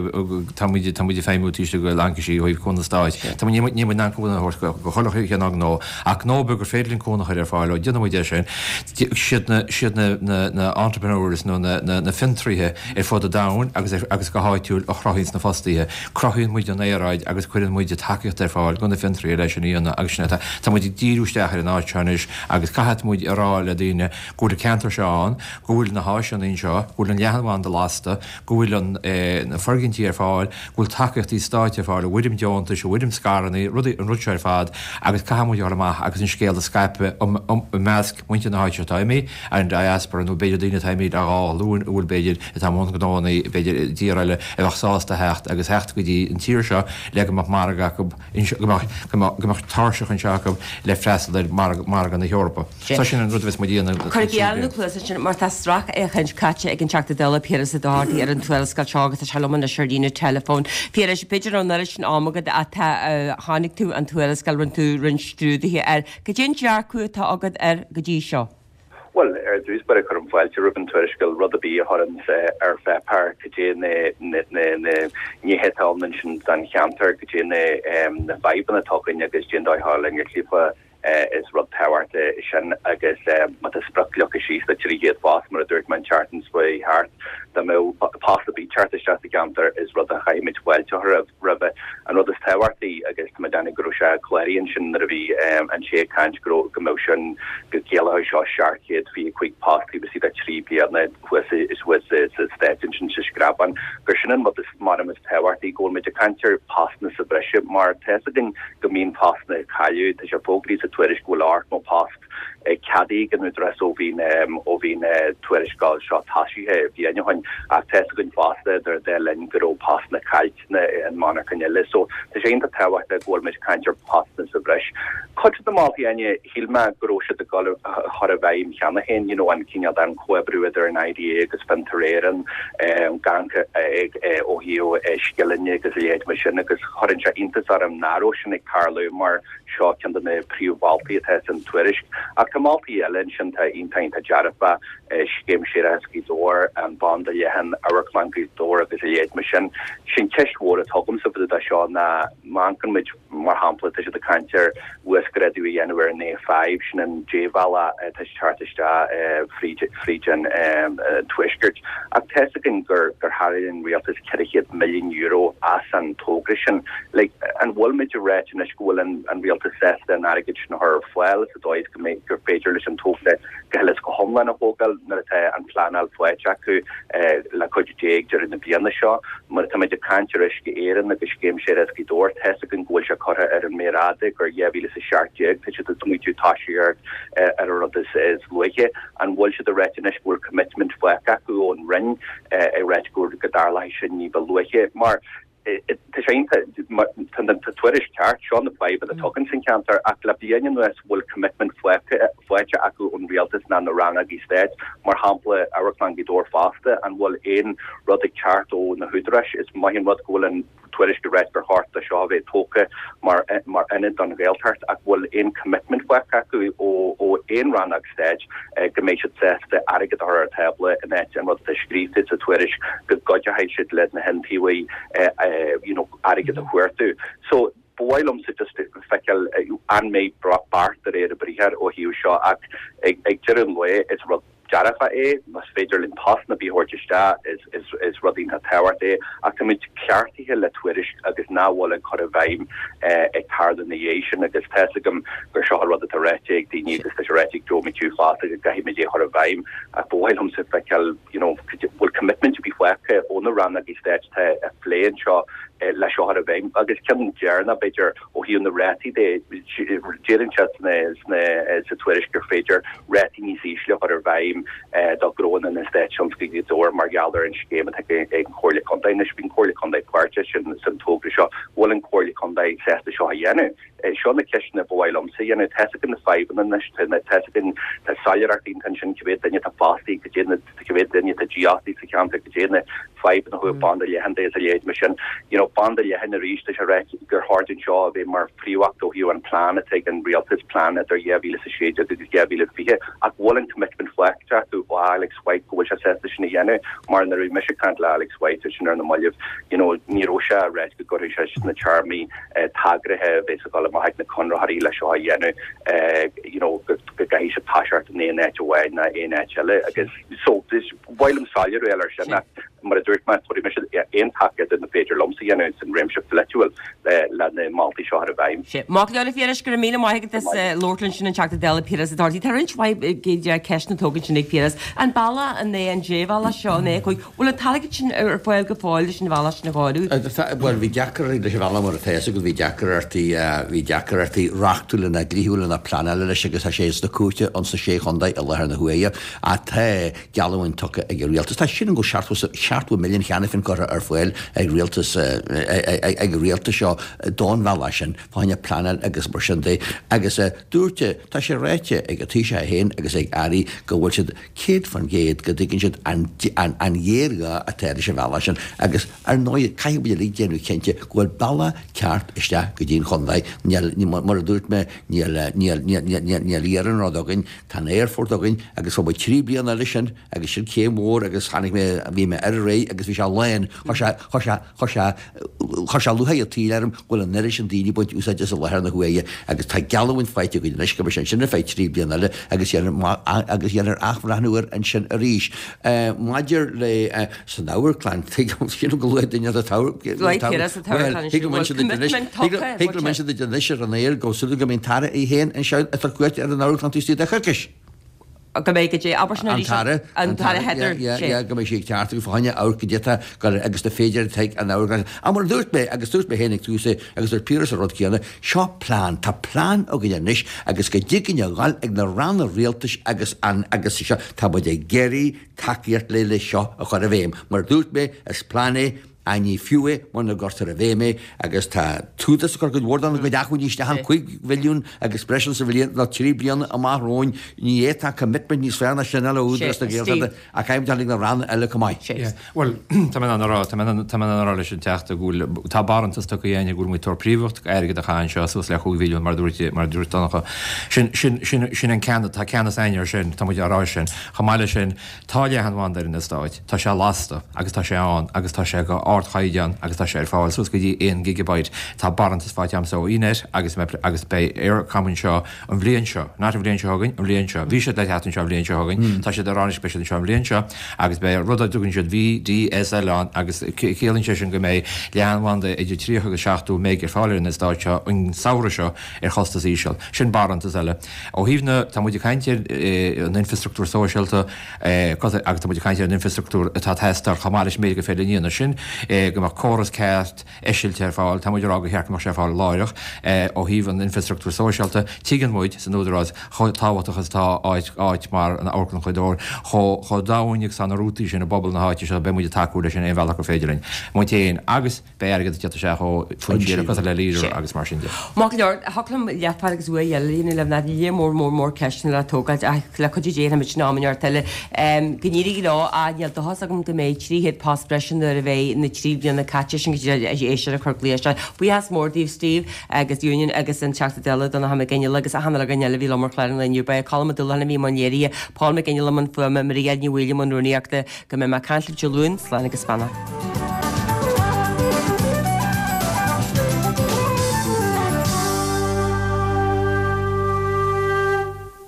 tá muid tá muid ag feidhmiú taobh istigh de laincisí ó thaobh cúnamh stáit. Tá muid ní muid in ann cúnamh a thabhairt go go chuile cheann gnó ach gnó beag gur féidir linn cúnamh a chur ar fáil ó déanann muid é sin. Siad na siad na na na entrepreneurs nó na na na fiontraithe ar fud an domhain agus agus go háitiúil a chruthaíonn na fostaithe. Cruthaíonn muid an aeráid agus cuireann muid tacaíocht ar fáil do na fiontraithe leis sin a dhéanamh agus sin atá tá muid ag díriú isteach ar an áit seo anois agus caithfidh muid a rá le daoine go bhfuil an ceantar seo ann, go bhfuil na háiseanna anseo, go bhfuil an leathanbhanda lasta, go bhfuil an na foirgintí ar fáil, go bhfuil tacaíochtaí stáit ar fáil i bhfoirm deontais, i bhfoirm scaireanna, rudaí an rud seo ar fad agus caithfidh muid a dhul amach agus an scéal a scaipeadh i measc muintir na háite atá imithe ar an diaspora nó b'fhéidir daoine atá imithe le dhá ghlúin a bhfuil b'fhéidir atá i mbun gnóanna b'fhéidir i dtír eile a bheadh sásta theacht agus theacht go dtí an tír seo le go mbeadh margadh acu go mbeadh go mbeadh tairseach anseo acu le freastal ar mhargadh na hEorpa. So sin an rud a bheas muid a dhéanamh. Cuir geall na cluasa sin mar tá sracfhéachaint caite ag an Teachta Dála Piaras Ó Dochartaigh ar an tuarascáil seo agus tá sé liom anois ar líne teileafóin. Piaras, b'fhéidir nach raibh an oiread sin ama agat ach tá chonaic tú an tuarascáil, rinne tú roinnt scrúduithe air. Cad é an dearcadh atá agat air go dtí seo? Bhuel, ar dtús báire cuirim fáilte roimh an tuarascáil, rud ar bith a chuireann ar pháipéar cad é na na nithe atá ann ansin don cheantar, cad é na fadhbanna atá againn agus cad é an dóigh a linn ar is rud tábhachtach é sin agus má tá sprioc leagtha síos le trí chéad post, mar a dúirt mé an tseachtain seo chuaigh thart, dá mbeadh post ar bith teacht isteach sa gceantar is rud a chaithfimid fáilte a chur roimhe. An rud is tábhachtaí, agus tá mé ag déanamh go raibh sé cláraithe ansin nuair a bhí an té ag caint go raibh, go mbeadh sin, go gciallódh seo seacht gcéad fiche cúig post taobh istigh de trí bliana thuas thuas sa Stáit ansin sa Screabán, gur sin an rud is measaim is tábhachtaí, go bhfuil muid ag caint ar postanna sa bhreise mar tá fhios againn go mbíonn postanna ag cailleadh, tá sé fógraithe sa tuairisc go bhfuil ochtó post ceadaithe ag an Údarás ó bhí ó bhí na tuarascáil seo tosaithe bliain ó shin ach tá fhios againn fosta idir an dá linn go raibh postanna caillte in monarchain eile so tá sé iontach tábhachtach go bhfuil muid ag caint ar postanna sa bhreis. Cuid de na moltaí Áine, shíl mé go raibh siad ag dul a chur i bhfeidhm cheana féin, you know an cineál den chomhoibriú idir an IDA agus Fiontar Éireann, gan ó thaobh scileanna agus a leithéid mar sin agus chuireann sé iontas orm nach raibh sin ag tarlú mar seo ceann de na príomh-mholtaí atá san tuairisc. Ach tá moltaí eile ansin atá iontach iontach dearfach, Scéim Séarachais Ghaoth Dobhair, an Banda Leathan, Amharclann Ghaoth Dobhair agus a leithéid mar sin. Sin ceist mhór atá agamsa fá dtaobh de seo ná má amharcann muid, mar shampla, tá siad ag caint ar uasghrádú a dhéanamh ar an A five, sin an débhealach atá ag teacht isteach fríd fríd an tuaisceart. Ach tá fhios againn gur gur tharraing an rialtas ceithre chéad milliún euro as an togra sin. Like, an bhfuil muid ag ráit anois go bhfuil an an rialtas sásta an airgead sin a chur ar fáil sa dóigh is go mbeidh gur féidir leis an togra go huile is go hiomlán a thógáil nuair atá an phleanáil faighte acu le cuidiú Dé ag deireadh na bliana seo. Mar atá muid ag caint ar Uisce Éireann agus Scéim Séarachais Ghaoth Dobhair, tá fhios againn go bhfuil sé curtha ar an méar fhada gur dhá mhíle is a seacht déag tá siad ag smaointiú toiseacht ar an rud is luaithe. An bhfuil siad ag ráit anois go bhfuil commitment faighte acu ón Roinn ag ráit go dtarlóidh sin ní ba luaithe? Mar tá sé iontach, tá an tuairisc ceart, seo na fadhbanna atá againn san cheantar ach le bliain anuas bhfuil commitment faighte acu ón rialtas ná na rannógaí stáit, mar shampla Amharclann Ghaoth Dobhair fosta, an bhfuil aon rud ag teacht ó na húdaráis? Is maith an rud go bhfuil an tuairisc ag ráit gur chóir do seo a bheith tógtha mar mar ionad don Ghaeltacht ach bhfuil aon commitment faighte acu ó ó aon rannóg stáit go mbeidh siad sásta airgead a chur ar an tábla in áit an rud atá scríofa sa tuairisc go gcuideoidh siad le na hiontaobhaithe you know airgead a chuartú. So ba mhaith liomsa just feiceáil an mbeidh beart de réir a briathair ó thaobh seo ach ag ag deireadh an lae is rud dearfach é, más féidir linn postanna ar bith a thabhairt isteach is is is rud iontach tábhachtach é ach táimid cleachtaithe le tuairisc agus nach bhfuil an cur i bhfeidhm ag tarlú ina dhiaidh sin agus tá fhios agam gur seo an rud atá ráite ag daoine agus tá sé ráite ag Joe McHugh fosta go gcaithfimid é a chur i bhfeidhm ach ba mhaith liomsa feiceáil you know bhfuil commitment ar bith faighte ó na rannógaí stáit atá ag plé anseo le seo a chur i bhfeidhm agus ceann deireanach b'fhéidir ó thaobh na rátaí de deireann siad sna sna sa tuairisc gur féidir rátaí níos ísle a chur i bhfeidhm do ghnóanna in Eastát Tionsclaíoch Ghaoth Dobhair mar gheall ar an scéim atá ag an Chomhairle Contae. Anois bhí an Chomhairle Contae páirteach sin san togra seo. Bhfuil an Chomhairle Contae sásta seo a dhéanamh? Seo na ceisteanna ba mhaith liomsa a dhéanamh. Tá fhios againn na fadhbanna anois, tá fhios againn, tá soiléireacht iontach ansin cé mhéad duine atá fostaithe, cad é na, cé mhéad duine atá dífhostaithe sa cheantar, cad é na fadhbanna ó thaobh banda leathan de is a leithéid mar sin. You know, Banda leathan arís tá sé ráite gur chóir dúinn seo a bheith mar phríomhacht ó thaobh an plean atá ag an rialtas, plean idir dhá mhíle is a sé déag agus dhá mhíle fiche, ach bhfuil an commitment faighte acu ó Alex White go bhfuil sé sásta sin a dhéanamh mar nuair a bhí mise ag caint le Alex White sin ar na mallaibh, you know, ní raibh sé ag ráit go gcuirfidh sé sna téarmaí tagartha a bheas ag dul amach ag na conraitheoirí le seo a dhéanamh, you know, go gcaithfidh siad toiseacht in aon áit amháin ná aon áit eile agus so is mhaith liom soiléiriú a fháil air sin ach mar a dúirt mé, tabharfaidh mise aon tacaíocht ar féidir liomsa a dhéanamh san réimse pholaitiúil le na moltaí seo a chur i bhfeidhm. Sea. Maith go leor, a Phiarais, go raibh míle maith agat as labhairt linn sin an Teachta Dála Piaras Ó Dochartaigh. Tá roinnt mhaith ceisteanna tógtha ansin ag Piaras. An bealach an é an débhealach seo an é a cúig? Bhfuil an t-airgead sin ar fáil go fóill leis an bhealach sin a chóiriú? Bhuel, bhí deacrachtaí leis an bhealach mar atá fhios agat, bhí deacrachtaí, bhí deacrachtaí reachtúla ná dlíthiúla ná pleanála leis agus tá sé sna cúirteanna ins na Sé Chontae i láthair na huaire. Ach tá geallúint tugtha ag an rialtas. Tá sin go seachtó seachtó milliún cheana féin curtha ar fáil ag rialtas ag an rialtas seo don bhealach sin fá choinne pleanáil agus mar sin de. Agus dúirt, tá sé ráite ag an Taoiseach é féin agus ag airí go bhfuil siad céad faoin gcéad go dtuigeann siad an an ghéarghá atá leis an bhealach sin agus ar ndóigh caithfidh muid uilig déanamh cinnte go bhfuil bealach ceart isteach go dtí an chontae. Níl, mar a dúirt mé, níl, níl, níl, níl, níl iarnród againn, tá an aerfort againn agus fuair muid trí bliana eile sin agus sin céim mhór agus tháinig mé, bhí mé ar ar agus bhí sé lán, chuir sé, chuir sé, chuir sé, chuir sé lúcháir an tsaoil orm go bhfuil an oiread sin daoine ag baint úsáid as i láthair na huaire agus tá geallúint faighte againn anois go mbeidh sé ansin ar feadh trí bliana eile agus dhéanfar, agus dhéanfar athbhreithniú air ansin arís. Maidir le, san amharclann, tuigim, sílim go luaigh duine an t-amharclann, bhuel, thig liom inse duit anois, thig liom inse duit anois ar an aer go súil go mbeidh an tAire é féin anseo ag tabhairt cuairt ar an amharclann taobh istigh de choicís. go mbeidh go dté, abair sin An arís, tAire, an tAire Heather, yeah, sé. yeah, go mbeidh sí ag teacht agus fá choinne amharc goidé atá ag agus na féidearthachtaí ag an amharclann. Ach mar a dúirt mé, agus dúirt mé féin ag tús é, agus dúirt Piaras an rud céanna, seo plean, tá plean againn anois agus go dtig linn a dhul ag na ranna rialtais agus an, agus seo, tá muid ag iarraidh tacaíocht le le seo a chur i bhfeidhm. Mar a dúirt mé, is plean é, Ach ní fiú é muna gcuirtear i bhfeidhm é agus tá t-údarás ag cur cuid mhór dá gcuid acmhainní isteach ann, cúig mhilliún agus breis sa bhliain nó trí bliana amach romhainn. Ní fhéadfá commitment níos fearr ná sin a fháil ó Údarás na Gaeltachta ach caithfidh muid dul ag na ranna eile chomh maith. Yeah. Bhuel, tá mé in ann a rá, tá mé in ann a rá leis an Teachta go bhfuil, tá barántas tugtha againn go bhfuil muid ag tabhairt príomhacht airgead a chaitheamh anseo suas le chúig mhilliún mar a dúirt, mar a dúirt Donncha. Sin, sin, sin, sin an ceann, tá ceannas againn air sin, tá muid á rá sin. Chomh maith leis sin, tá leathanbhanda ar an eastát, tá sé lasta agus tá sé ann agus tá sé go ardchaighdeán agus tá sé ar fáil suas go dtí aon gigabyte. Tá barántas faighte agamsa ó eNet agus agus beidh Eircom anseo an bhliain seo, not an bhliain seo chugainn, an bhliain seo. Bhí siad le teacht anseo an bhliain seo chugainn, tá siad ag rá anois beidh siad anseo an bhliain seo agus beidh rud a dtugann siad VDSL ann agus ciallaíonn sé sin go mbeidh leathanbhanda idir tríocha agus seachtó meg ar fáil ar an eastát seo an samhradh seo ar chostas íseal. Sin barántas eile. Ó thaobh na, tá muid ag caint ar an infreastruchtúr sóisialta agus tá muid ag caint ar an infreastruchtúr atá ag teastáil chomh maith leis an méid gur féidir linn a dhéanamh, sin go mbeadh córas ceart eisilte ar fáil, tá muid ag rá gur cheart go mbeadh sé ar fáil láithreach. Ó thaobh an infreastruchtúir sóisialta, tuigeann muid san Údarás chomh tábhachtach is atá áit, áit mar an Amharclann Ghaoth Dobhair, chomh, chomh domhain agus tá na rútaí sin i bpobal na háite seo, beidh muid ag tacú leis in aon bhealach gur féidir linn. Muid féin agus. Beidh airgead ag teacht isteach ó foinsí eile cosúil le Leader agus mar sin de. Maith go leor, thiocfadh liom leathuair agus uair eile a dhéanamh libh, ná lear mór mór mór ceisteanna le tógáilt ach le cuidiú Dé déanfaimid sin am inteacht eile. Go n-éirí leo ach níl dóchas agam go mbeidh trí chéad post breise nuair a bheidh na trí bliana caite sin go dtí éisteoir ag cur glaoch isteach. Buíochas mór daoibh Steve agus Union agus an Teachta Dála Donnchadh Mac Fhionnghaile agus achan uile dhuine eile a bhí liom ar chlár an lae inniu. Ba é Colm Ó Dúlacháin a bhí i mbun léirithe, Paul Mac Fhionnghaile i mbun fuaime, Maria Ní Mhaoil i mbun rúnaíochta. Go mbeidh mé ag caint libh Dé Luain, slán agus beannacht.